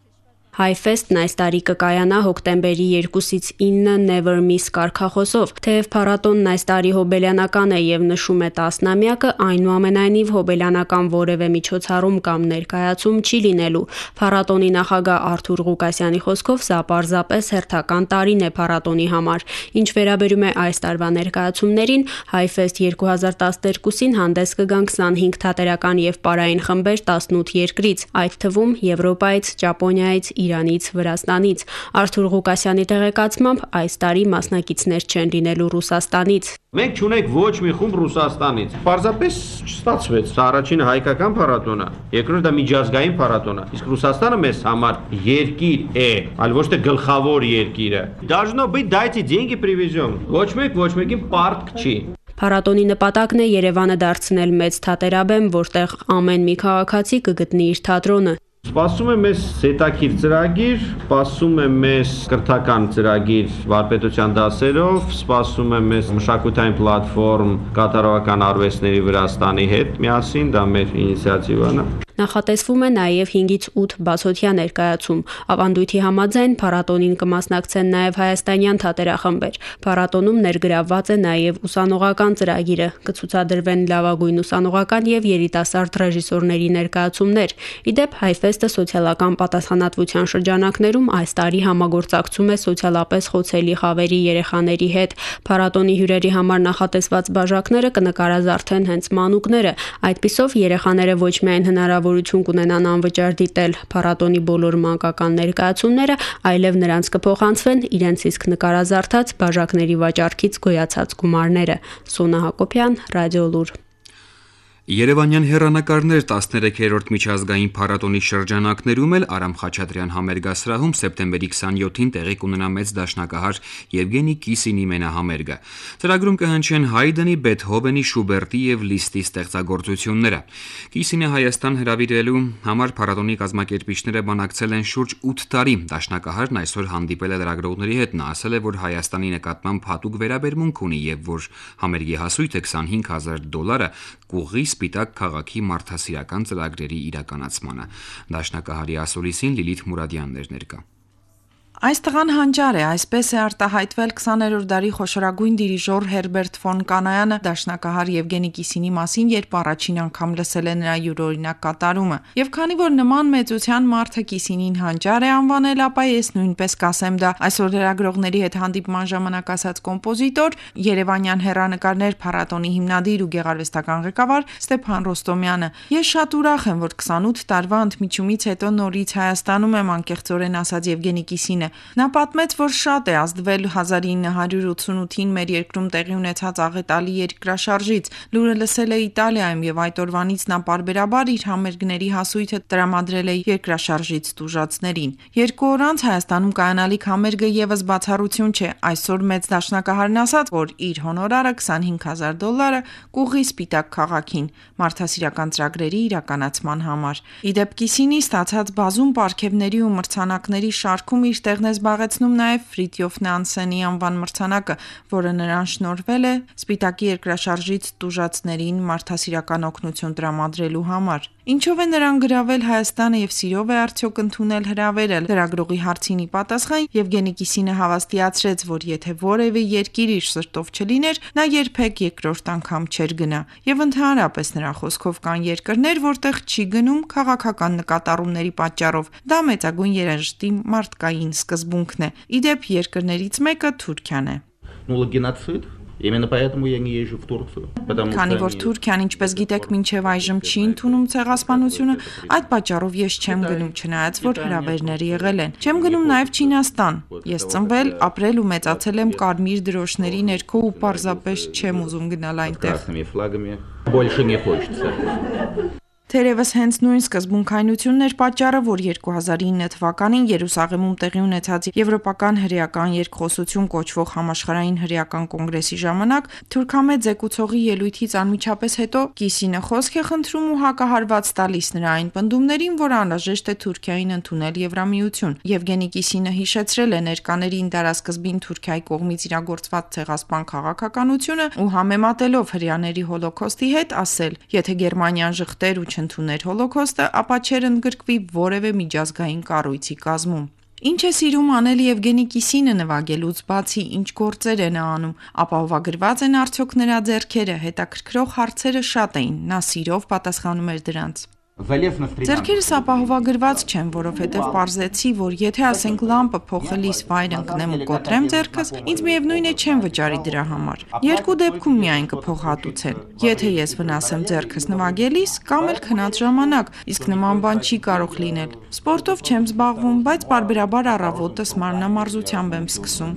Հայֆեստն այս տարի կկայանա հոկտեմբերի 2-ից 9 Never Miss կարգախոսով, թեև փառատոնն այս տարի հոբելյանական է եւ նշում է 10-ամյակը, այնուամենայնիվ հոբելյանական որևէ միջոցառում կամ ներկայացում չի լինելու։ Փառատոնի նախագահ Արթուր Ղուկասյանի խոսքով սա պարզապես հերթական տարին է փառատոնի համար։ Ինչ վերաբերում է այս տարվա ներկայացումներին, Հայֆեստ 2012-ին հանդես կգան 25 թատերական եւ պարային խմբեր 18 երկրից, այդ թվում Եվրոպայից, Ճապոնիայից, Իրանից, Վրաստանից։ Արթուր Ղուկասյանի տեղեկացմամբ այս տարի մասնակիցներ չեն լինելու Ռուսաստանից։ Մենք չունենք ոչ մի խումբ Ռուսաստանից։ Պարզապես չստացվեց։ Սա առաջինը հայկական փառատոն է, երկրորդը դա միջազգային փառատոն է։ Իսկ Ռուսաստանը մեզ համար երկիր է, այլ ոչ թե գլխավոր երկիրը։ Должно быть дайте деньги привезем։ Ոչ մեկին պարտք չի։ Փառատոնի նպատակն է Երևանը դարձնել մեծ թատերաբեմ, որտեղ ամեն մի քաղաքացի կգտնի իր թատրոնը։ Սպասում է մեզ հետաքրքիր ծրագիր, սպասում է մեզ կրթական ծրագիր վարպետության դասերով, սպասում է մեզ մշակութային պլատֆորմ կատարողական արվեստների Վրաստանի հետ միասին, դա մեր ինիցիատիվան է։ Նախատեսվում է նաև 5-ից 8 բացօթյա ներկայացում։ Ավանդույթի համաձայն փառատոնին կմասնակցեն նաև հայաստանյան թատերախմբեր։ Փառատոնում ներգրավված է նաև ուսանողական ծրագիրը, կցուցադրվեն լավագույն ուսանողական եւ երիտասարդ ռեժիսորների ներկայացումներ։ Իդեպ Հայֆեստը սոցիալական պատասխանատվության շրջանակներում այս տարի համագործակցում է սոցիալապես խոցելի խավերի երեխաների հետ։ Փառատոնի հյուրերի համար նախատեսված բաժակները կնկարազարդեն հենց մանուկները։ Այդպիսով երեխաները ոչ միայն հնարավորություն կունենան անվճար դիտել փառատոնի բոլոր մանկական ներկայացումները, այլև նրանց կփոխանցվեն իրենց իսկ նկարազարդած բաժակների վաճառքից գոյացած գումարները։ Սոնա Հակոբյան, Ռադիոլուր։ Երևանյան հեռանկարներ 13-րդ միջազգային փառատոնի շրջանակներում էլ Արամ Խաչատրյան համերգասրահում սեպտեմբերի 27-ին տեղի կունենա մեծ դաշնակահար Եվգենի Կիսինի մենահամերգը։ Ծրագրում կհնչեն Հայդենի, Բեթհովենի, Շուբերտի եւ Լիստի ստեղծագործությունները։ Կիսինը Հայաստան հրավիրելու համար փառատոնի կազմակերպիչները բանակցել են շուրջ 8 տարի։ Դաշնակահարն այսօր հանդիպել է լրագրողների հետ, նա ասել է, որ Հայաստանի նկատմամբ հատուկ վերաբերմունք ունի եւ որ համերգի հասույթը $25,000 կուղղի Սպիտակ քաղաքի մարդասիրական ծրագրերի իրականացմանը։ Դաշնակահարի ասուլիսին Լիլիթ Մուրադյաններ ներկա։ Այս տղան հանճար է, այսպես է արտահայտվել 20-րդ դարի խոշորագույն դիրիժոր Հերբերտ ֆոն Կանայանը դաշնակահար Եվգենի Կիսինի մասին, երբ առաջին անգամ լսել է նրա յուրօրինակ կատարումը։ Եվ քանի որ նման մեծության մարդը Կիսինին հանճար է անվանել, ապա ես նույնպես կասեմ դա։ Այսօր լրագրողների հետ հանդիպման ժամանակ ասաց կոմպոզիտոր, Երևանյան հեռանկարներ փառատոնի հիմնադիր ու գեղարվեստական ղեկավար Ստեփան Ռոստոմյանը։ Ես շատ ուրախ եմ, որ 28 տարվա ընդմիջումից հետո նորից Հայաստանում եմ, անկեղծորեն ասաց Եվգենի Կիսինը։ Նա պատմեց, որ շատ է ազդվել 1988-ին մեր երկրում տեղի ունեցած աղետալի երկրաշարժից։ Լուրը լսել է Իտալիայում եւ այդ օրվանից նա պարբերաբար իր համերգների հասույթը տրամադրել է երկրաշարժից տուժածներին։ 2 օր անց Հայաստանում կայանալիք համերգը եւս բացառություն չէ։ Այսօր մեծ դաշնակահարն ասաց, որ իր հոնորարը $25,000 կուղղի Սպիտակ քաղաքին մարդասիրական ծրագրերի իրականացման համար։ Իդեպ Կիսինի ստացած բազում պարգևների ու մրցանակների շարքում իր տեղն է զբաղեցնում նաև Ֆրիտյոֆ Նանսենի անվան մրցանակը, որը նրան շնորհվել է Սպիտակի երկրաշարժից տուժածներին մարդասիրական օգնություն տրամադրելու համար։ Ինչով է նրան գրավել Հայաստանը եւ սիրով է արդյոք ընդունել հրավերը։ Լրագրողի հարցին ի պատասխան Եվգենի Կիսինը հավաստիացրեց, որ եթե որևէ երկիր իր սրտով չլիներ, նա երբեք երկրորդ անգամ չէր գնա։ Եվ ընդհանրապես նրա խոսքով կան երկրներ, որտեղ չի գնում քաղաքական նկատառումների պատճառով։ Դա մեծագույն երաժշտի մարդկային սկզբունքն է։ Իդեպ երկրներից մեկը Թուրքիան է։ Именно поэтому я не езжу в Турцию. Քանի որ Թուրքիան, ինչպես գիտեք, մինչև այժմ չի ընդունում ցեղասպանությունը, այդ պատճառով ես չեմ գնում, չնայած որ հրավերներ եղել են։ Չեմ գնում նաև Չինաստան։ Ես ծնվել, ապրել ու մեծացել եմ կարմիր դրոշների ներքո ու պարզապես չեմ ուզում գնալ այնտեղ։ Больше не хочется. Թերևս հենց նույն սկզբունքայնությունն էր պատճառը, որ 2009 թվականին Երուսաղեմում տեղի ունեցած Եվրոպական հրեական երկխոսություն կոչվող համաշխարհային հրեական կոնգրեսի ժամանակ թուրքամետ զեկուցողի ելույթից անմիջապես հետո Կիսինը խոսք է խնդրում ու հակահարված տալիս նրա այն պնդումներին, որ անհրաժեշտ է Թուրքիային ընդունել Եվրամիություն։ Եվգենի Կիսինը հիշեցրել է ներկաներին դարասկզբին Թուրքիայի կողմից իրագործված ցեղասպան քաղաքականությունը ու համեմատելով հրեաների հոլոքոստի հետ ասել. եթե Գերմանիան ժխտեր ու ընդուներ հոլոքոստը, ապա չեր ընդգրկվի որևէ միջազգային կառույցի կազմում։ Ինչ է սիրում անել Եվգենի Կիսինը նվագելուց բացի, ինչ գործեր է նա անում, ապահովագրված են արդյոք նրա ձեռքերը, հետաքրքրող հարցերը շատ էին, նա սիրով պատասխանում էր դրանց։ Ձեռքերս ապահովագրված չեն, որովհետև պարզեցի, որ եթե ասենք լամպը փոխելիս վայր ընկնեմ ու կոտրեմ ձեռքս, ինձ միևնույն է չեմ վճարի դրա համար։ Երկու դեպքում միայն կփոխհատուցեն։ Եթե ես վնասեմ ձեռքս նվագելիս, կամ էլ քնած ժամանակ, իսկ նման բան չի կարող լինել։ Սպորտով չեմ զբաղվում, բայց պարբերաբար առավոտս մարմնամարզությամբ եմ սկսում։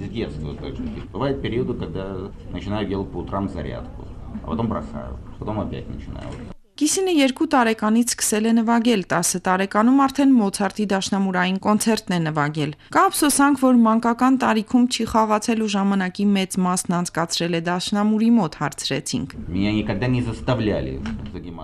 Бывают периоды, когда начинаю делать по утрам зарядку, а потом бросаю, потом опять начинаю. Կիսինը 2 տարեկանից սկսել է նվագել, 10 տարեկանում արդեն Մոցարտի դաշնամուրային կոնցերտն է նվագել։ Կա ափսոսանք, որ մանկական տարիքում չի խաղացել ու ժամանակի մեծ մասն անցկացրել է դաշնամուրի մոտ, հարցրեցինք։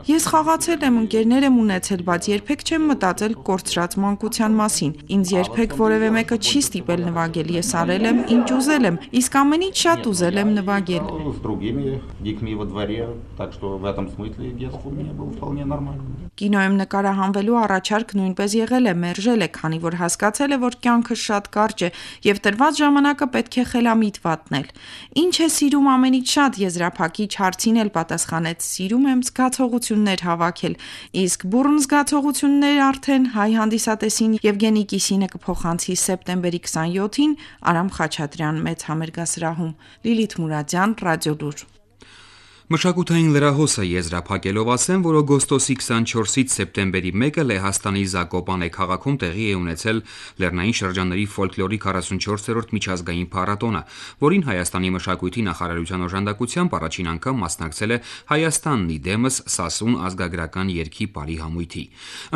Ես խաղացել եմ, ընկերներ եմ ունեցել, բայց երբեք չեմ մտածել կորցրած մանկության մասին։ Ինձ երբեք որևէ մեկը չի ստիպել նվագել, ես արել եմ, ինչ ուզել եմ, իսկ ամենից շատ ուզել եմ նվագել։ меня был вполне нормальным. Կինոյում նկարահանվելու առաջարկ նույնպես եղել է, մերժել է, քանի որ հասկացել է, որ կյանքը շատ կարճ է եւ տրված ժամանակը պետք է խելամիտ վատնել։ Ինչ է սիրում ամենից շատ, եզրափակիչ հարցին էլ պատասխանեց. սիրում եմ զգացողություններ հավաքել, իսկ բուռն զգացողություններ արդեն հայ հանդիսատեսին Եվգենի Կիսինը կփոխանցի սեպտեմբերի 27-ին Արամ Խաչատրյան մեծ համերգասրահում։ Լիլիթ Մուրադյան, Ռադիոլուր։ Մշակութային լրահոսը եզրափակելով ասեմ, որ օգոստոսի 24-ից սեպտեմբերի 1-ը Լեհաստանի Զակոպանե քաղաքում տեղի է ունեցել Լեռնային շրջանների ֆոլկլորի 44-րդ միջազգային փառատոնը, որին Հայաստանի մշակույթի նախարարության օժանդակությամբ առաջին անգամ մասնակցել է Հայաստանն իդեմս Սասուն ազգագրական երգի պարի համույթի։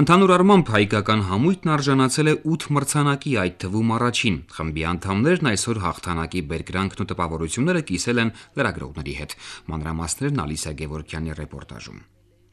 Ընդհանուր առմամբ հայկական համույթն արժանացել է 8 մրցանակի, այդ թվում առաջին։ Խմբի անդամներն այսօր հաղթանակի բերկրանքն ու տպավորությունները կիսել են լրագրողների հետ։ Մանրամասներ Ալիսա Գևորգյանի ռեպորտաժում։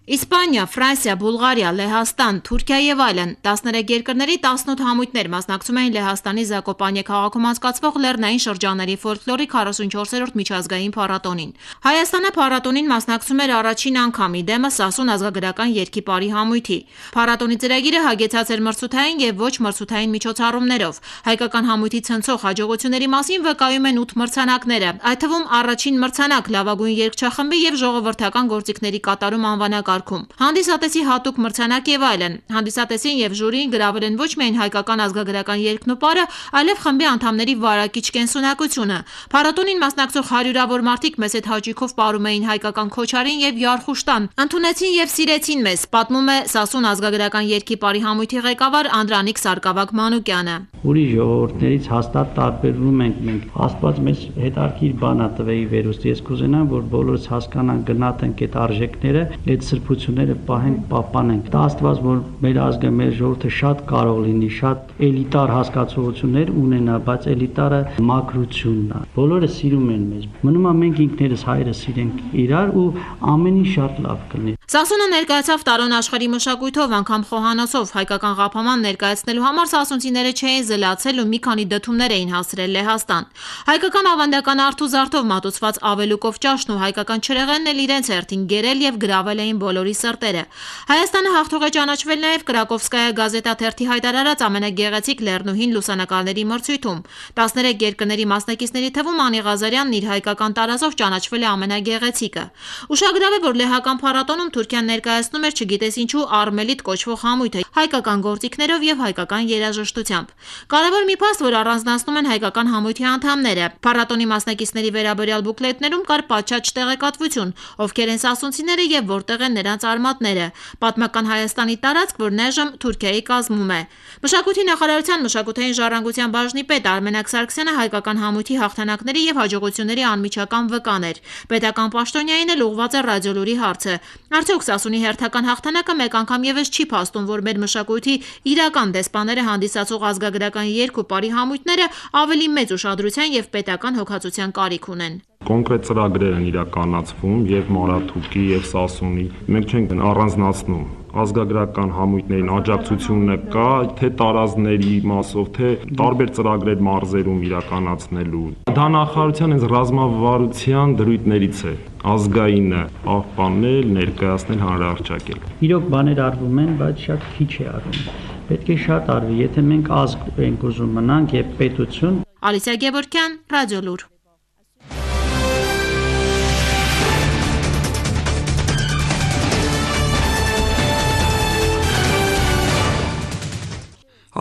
Իսպանիա, Ֆրանսիա, Բուլղարիա, Լեհաստան, Թուրքիա եւ այլն 13 երկրների 18 համույթներ մասնակցում էին Լեհաստանի Զակոպանե քաղաքում անցկացվող Լեռնային շրջանների ֆոլկլորի 44-րդ միջազգային փառատոնին։ Հայաստանը փառատոնին մասնակցում էր առաջին անգամ իդեմս Սասուն ազգագրական երգի պարի համույթի։ Փառատոնի ծրագիրը հագեցած էր մրցութային եւ ոչ մրցութային միջոցառումներով։ Հայկական համույթի ցնցող հաջողությունների մասին վկայում են 8 մրցանակները, այդ թվում առաջին մրցանակ լավագույն երգչախմբի եւ ժողովրդական գործիքների կատարում անվանակ Հանդիսատեսի հատուկ մրցանակ եւ այլն։ Հանդիսատեսին եւ ժյուրիին գրավել են ոչ միայն հայկական ազգագրական երգն ու պարը, այլև խմբի անդամների վարակիչ կենսունակությունը։ Փառատոնին մասնակցող հարյուրավոր մարդիկ մեծ հաճույքով պարում էին հայկական քոչարին եւ Յարխուշտան։ Ընդունեցին եւ սիրեցին մեզ, պատմում է Սասուն ազգագրական երգի պարի համույթի ղեկավար Անդրանիկ Սարգսակ Մանուկյանը։ Ուրիշ ժողովուրդներից հաստատ տարբերվում ենք մենք։ Աստված մեզ հետարքիր բան ա տվեի վերուստ։ Ես կուզենամ, որ բոլորս հասկանան, գնահատենք այդ արժեքները, այդ սրբությունները պահենք, պահպանենք։ Դա Աստված, որ մեր ազգը, մեր ժողովուրդը շատ կարող լինի, շատ էլիտար հասկացություններ ունենա, բայց էլիտարը մաքրությունն է։ Բոլորը սիրում են մեզ։ Մնում է մենք ինքներս հայրը սիրենք իրար ու ամեն ինչ շատ լավ կլինի։ Սասունը ներկայացավ տարոն աշխարհի մշակույթով, անգամ խոհանոցով, հայկական ղափաման ներկայացնելու համար սասունցիները չէին զլացել ու մի քանի դդումներ էին հասրել Լեհաստան։ Հայկական ավանդական արթուզարդով մատուցված ավելուկով ճաշն ու հայկական չրեղենն էլ իրենց հերթին գերել եւ գրավել էին բոլորի սրտերը։ Հայաստանը հաղթող է ճանաչվել նաև Կրակովսկայա գազետա թերթի հայտարարած ամենագեղեցիկ լեռնուհին լուսանկարների մրցույթում։ 13 երկրների մասնակիցների թվում Անի Ղազարյանն իր հայկական տարազով ճանաչվել է ամենագեղեցիկը։ Ուշագրավ է, որ լեհական փառատոնում Թուրքիան ներկայացնում էր չգիտես ինչու Արմելիտ կոչվող համույթը հայկական գործիքներով եւ հայկական երաժշտությամբ։ Կարևոր մի փաստ, որ առանձնացնում են հայկական համույթի անդամները։ Փառատոնի մասնակիցների վերաբերյալ բուկլետներում կար պատշաճ տեղեկատվություն, ովքեր են սասունցիները եւ որտեղ են նրանց արմատները։ Պատմական Հայաստանի տարածք, որն այժմ Թուրքիայի կազմում է։ Մշակույթի նախարարության մշակութային ժառանգության բաժնի պետ Արմենակ Սարգսյանը հայկական համույթի հաղթանակների եւ հաջողությունների անմիջական վկան էր։ Պետական պաշտոնյային էլ ուղղված է Ռադիոլուրի հարցը։ Արդյոք Սասունի հերթական հաղթանակը մեկ անգամ եւս չի փաստում, որ մեր մշակույթի իրական դեսպանները հանդիսացող ազգագրական երգ ու պարի համույթները ավելի մեծ ուշադրության եւ պետական հոգացության կարիք ունեն։ Կոնկրետ ծրագրեր են իրականացվում եւ Մարաթուկի եւ Սասունի։ Մենք չենք առանձնացնում ազգագրական համույթներին աջակցությունը կա, թե տարազների մասով, թե տարբեր ծրագրեր մարզերում իրականացնելու։ Դա նախարարության այս ռազմավարության դրույթներից է ազգայինը պահպանել, ներկայացնել, հանրահռչակել։ Իրոք բաներ արվում են, բայց շատ քիչ է արվում։ Պետք է շատ արվի, եթե մենք ազգ ենք ուզում մնանք եւ պետություն։ Ալիսա Գևորգյան, Ռադիոլուր։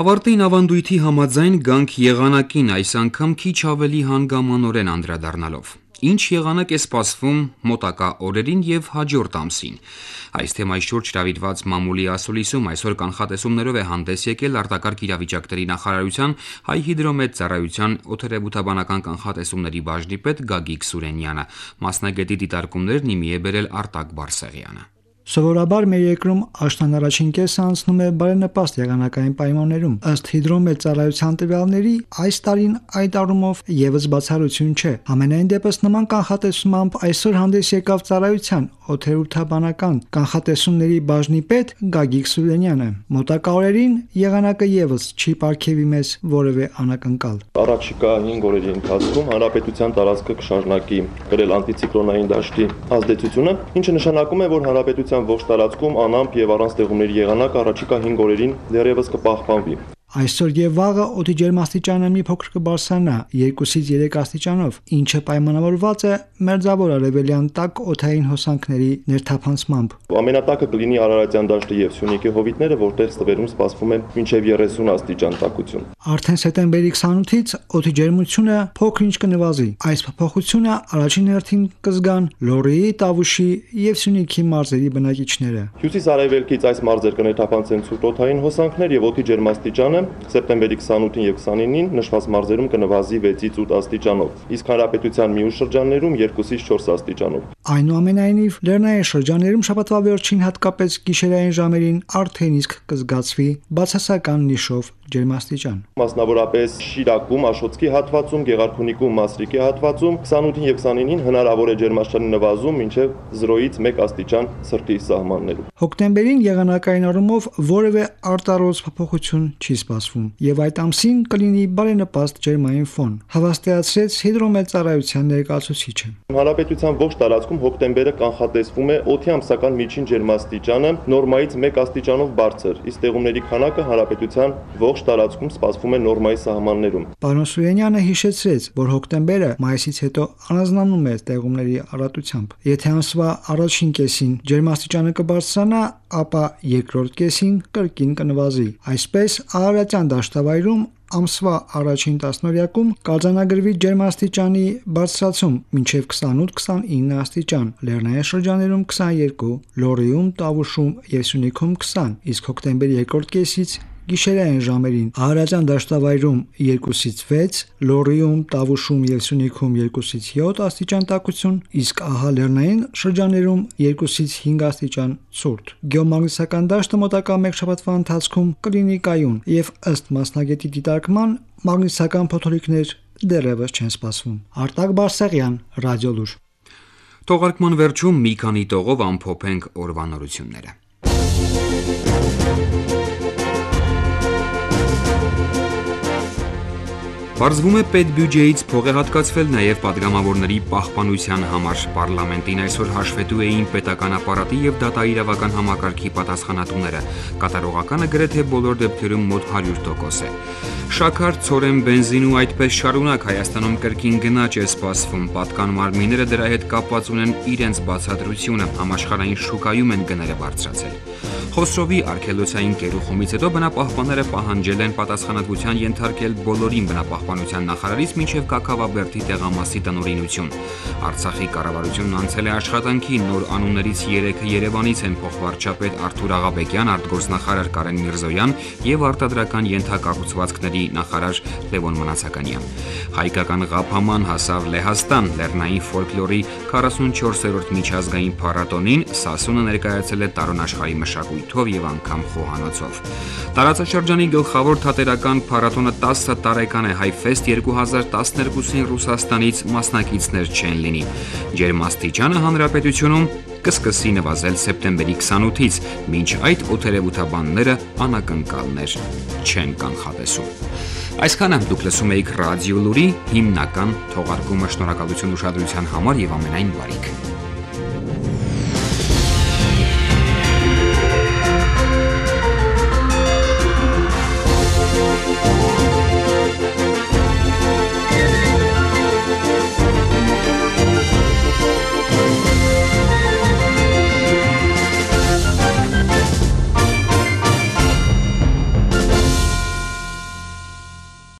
Ավարտին ավանդույթի համաձայն գանք եղանակին, այս անգամ քիչ ավելի հանգամանորեն անդրադառնալով։ Ինչ եղանակ է սպասվում մոտակա օրերին եւ հաջորդ ամսին։ Այս թեմայի շուրջ հրավիրված մամուլի ասուլիսում այսօր կանխատեսումներով է հանդես եկել արտակարգ իրավիճակների նախարարության Հայ հիդրոմեծարայության օդերևութաբանական կանխատեսումների բաժնի պետ Գագիկ Սուրենյանը։ Մասնագետի դիտարկումներն իմի է բերել Արտակ Բարսեղյանը։ Սովորաբար մեր երկրում աշնան առաջին կեսը անցնում է բարենպաստ եղանակային պայմաններում։ Ըստ հիդրոմեծարայության տվյալների, այս տարին այդ առումով եւս բացառություն չէ։ Համենայն դեպս նման կանխատեսումամբ այսօր հանդես եկավ ծառայության օդերևութաբանական կանխատեսումների բաժնի պետ Գագիկ Սուրենյանը։ Մոտակա օրերին եղանակը եւս չի պարգևի մեզ որևէ անակնկալ։ Առաջիկա 5 օրերի ընթացքում հանրապետության տարածքը կշարունակի կրել անտիցիկլոնային դաշտի ազդեցությունը, ինչը նշանակում է, որ հանրապետության հանրապետության ողջ տարածքում անամպ եւ առանց տեղումների եղանակ առաջիկա 5 օրերին դեռևս կպահպանվի։ Այսօր եւ վաղը օդի ջերմաստիճանը մի փոքր կբարձրանա 2-ից 3 աստիճանով, ինչը պայմանավորված է մերձավոր արևելյան տաք օդային հոսանքների ներթափանցմամբ։ Ամենատակը կլինի Արարատյան դաշտը եւ Սյունիքի հովիտները, որտեղ ստվերում սպասվում է մինչեւ 30 աստիճան տաքություն։ Արդեն սեպտեմբերի 28-ից օդի ջերմությունը փոքր-ինչ կնվազի։ Այս փոփոխությունը առաջին հերթին կզգան Լոռիի, Տավուշի եւ Սյունիքի մարզերի բնակիչները։ Հյուսիս-արևելքից այս մարզեր կներթափանցեն ցուրտ օդային հոսանքներ եւ օդի ջերմաստիճանը սեպտեմբերի 28-ին եւ 29-ին նշված մարզերում կնվազի 6-ից 8 աստիճանով, իսկ հանրապետության մյուս շրջաններում 2-ից 4 աստիճանով։ Այնուամենայնիվ, լեռնային շրջաններում շաբաթվա վերջին հատկապես գիշերային ժամերին արդեն իսկ կզգացվի բացասական նիշով ջերմաստիճան։ Մասնավորապես Շիրակում, Աշոտսկի հատվածում, Գեղարքունիքում, Մասրիկի հատվածում 28-ին եւ 29-ին հնարավոր է ջերմաստիճանի նվազում մինչեւ 0-ից 1 աստիճան սրտի սահմաններում։ Հոկտեմբերին եղանակային առումով որևէ արտարոց փոփոխություն չի սպասվում եւ այդ ամսին կլինի բարենպաստ ջերմային ֆոն, հավաստիացրեց հիդրոմեծարայության ներկայացուցիչը։ Հանրապետության ողջ տարածքում հոկտեմբերը կանխատեսվում է օդի ամսական միջին ջերմաստիճանը նորմայից 1 աստիճանով բարձր, իսկ տեղումների քանակը հանրապետության ողջ տարածքում սպասվում է նորմայի սահմաններում։ Պարոն Սուրենյանը հիշեցրեց, որ հոկտեմբերը մայիսից հետո առանձնանում է տեղումների առատությամբ։ Եթե ամսվա առաջին կեսին ջերմաստիճանը կբարձրանա, ապա երկրորդ կեսին կրկին կնվազի։ Այսպես Արարատյան դաշտավայրում ամսվա առաջին տասնօրյակում կարձանագրվի ջերմաստիճանի բարձրացում մինչև 28-29 աստիճան, լեռնային շրջաներում 22, Լոռիում, Տավուշում եւ Սյունիքում 20, իսկ հոկտեմբերի երկրորդ կեսից գիշերային ժամերին Արարատյան դաշտավայրում 2-ից 6, Լոռիում, Տավուշում եւ Սյունիքում 2-ից 7 աստիճան տաքություն, իսկ ահա լեռնային շրջաներում 2-ից 5 աստիճան ցուրտ։ Գեոմագնիսական դաշտը մոտակա մեկ շաբաթվա ընթացքում կլինի կայուն եւ ըստ մասնագետի դիտարկման մագնիսական փոթորիկներ դեռևս չեն սպասվում։ Արտակ Բարսեղյան, Ռադիոլուր։ Թողարկման վերջում մի քանի տողով ամփոփենք օրվա նորությունները։ Պարզվում է պետբյուջեից փող է հատկացվել նաև պատգամավորների պահպանության համար։ Պարլամենտին այսօր հաշվետու էին պետական ապարատի եւ դատաիրավական համակարգի պատասխանատուները։ Կատարողականը գրեթե բոլոր դեպքերում մոտ 100% է։ Շաքար, ցորեն, բենզին ու այդպես շարունակ Հայաստանում կրկին գնաճ է սպասվում։ Պատկան մարմինները դրա հետ կապված ունեն իրենց բացատրությունը, համաշխարհային շուկայում են գները բարձրացել։ Խոսրովի արգելոցային կերուխումից հետո բնապահպանները պահանջել են պատասխանատվության ենթարկել բոլորին բնապահպանության նախարարից մինչև Կաքավաբերդի տեղամասի տնօրինություն։ Արցախի կառավարությունն անցել է աշխատանքի, նոր անուններից 3-ը Երևանից են՝ փոխվարչապետ Արթուր Աղաբեկյան, արտգործնախարար Կարեն Միրզոյան եւ արտադրական ենթակառուցվածքների նախարար Լևոն Մնացականյան։ Հայկական ղափաման հասավ Լեհաստան, լեռնային ֆոլկլորի 44-րդ միջազգային փառատոնին Սասունը ներկայացել է տարոնաշխարհի մշակույթով եւ անգամ խոհանոցով։ Տարածաշրջանի գլխավոր թատերական փառատոնը 10 տարեկան է, Հայֆեստ 2012-ին Ռուսաստանից մասնակիցներ չեն լինի։ Ջերմաստիճանը հանրապետությունում կսկսի նվազել սեպտեմբերի 28-ից, մինչ այդ օդերևութաբանները անակնկալներ չեն կանխատեսում։ Այսքանը դուք լսում էիք Ռադիոլուրի հիմնական թողարկումը։ Շնորհակալություն ուշադրության համար եւ ամենայն բարիք։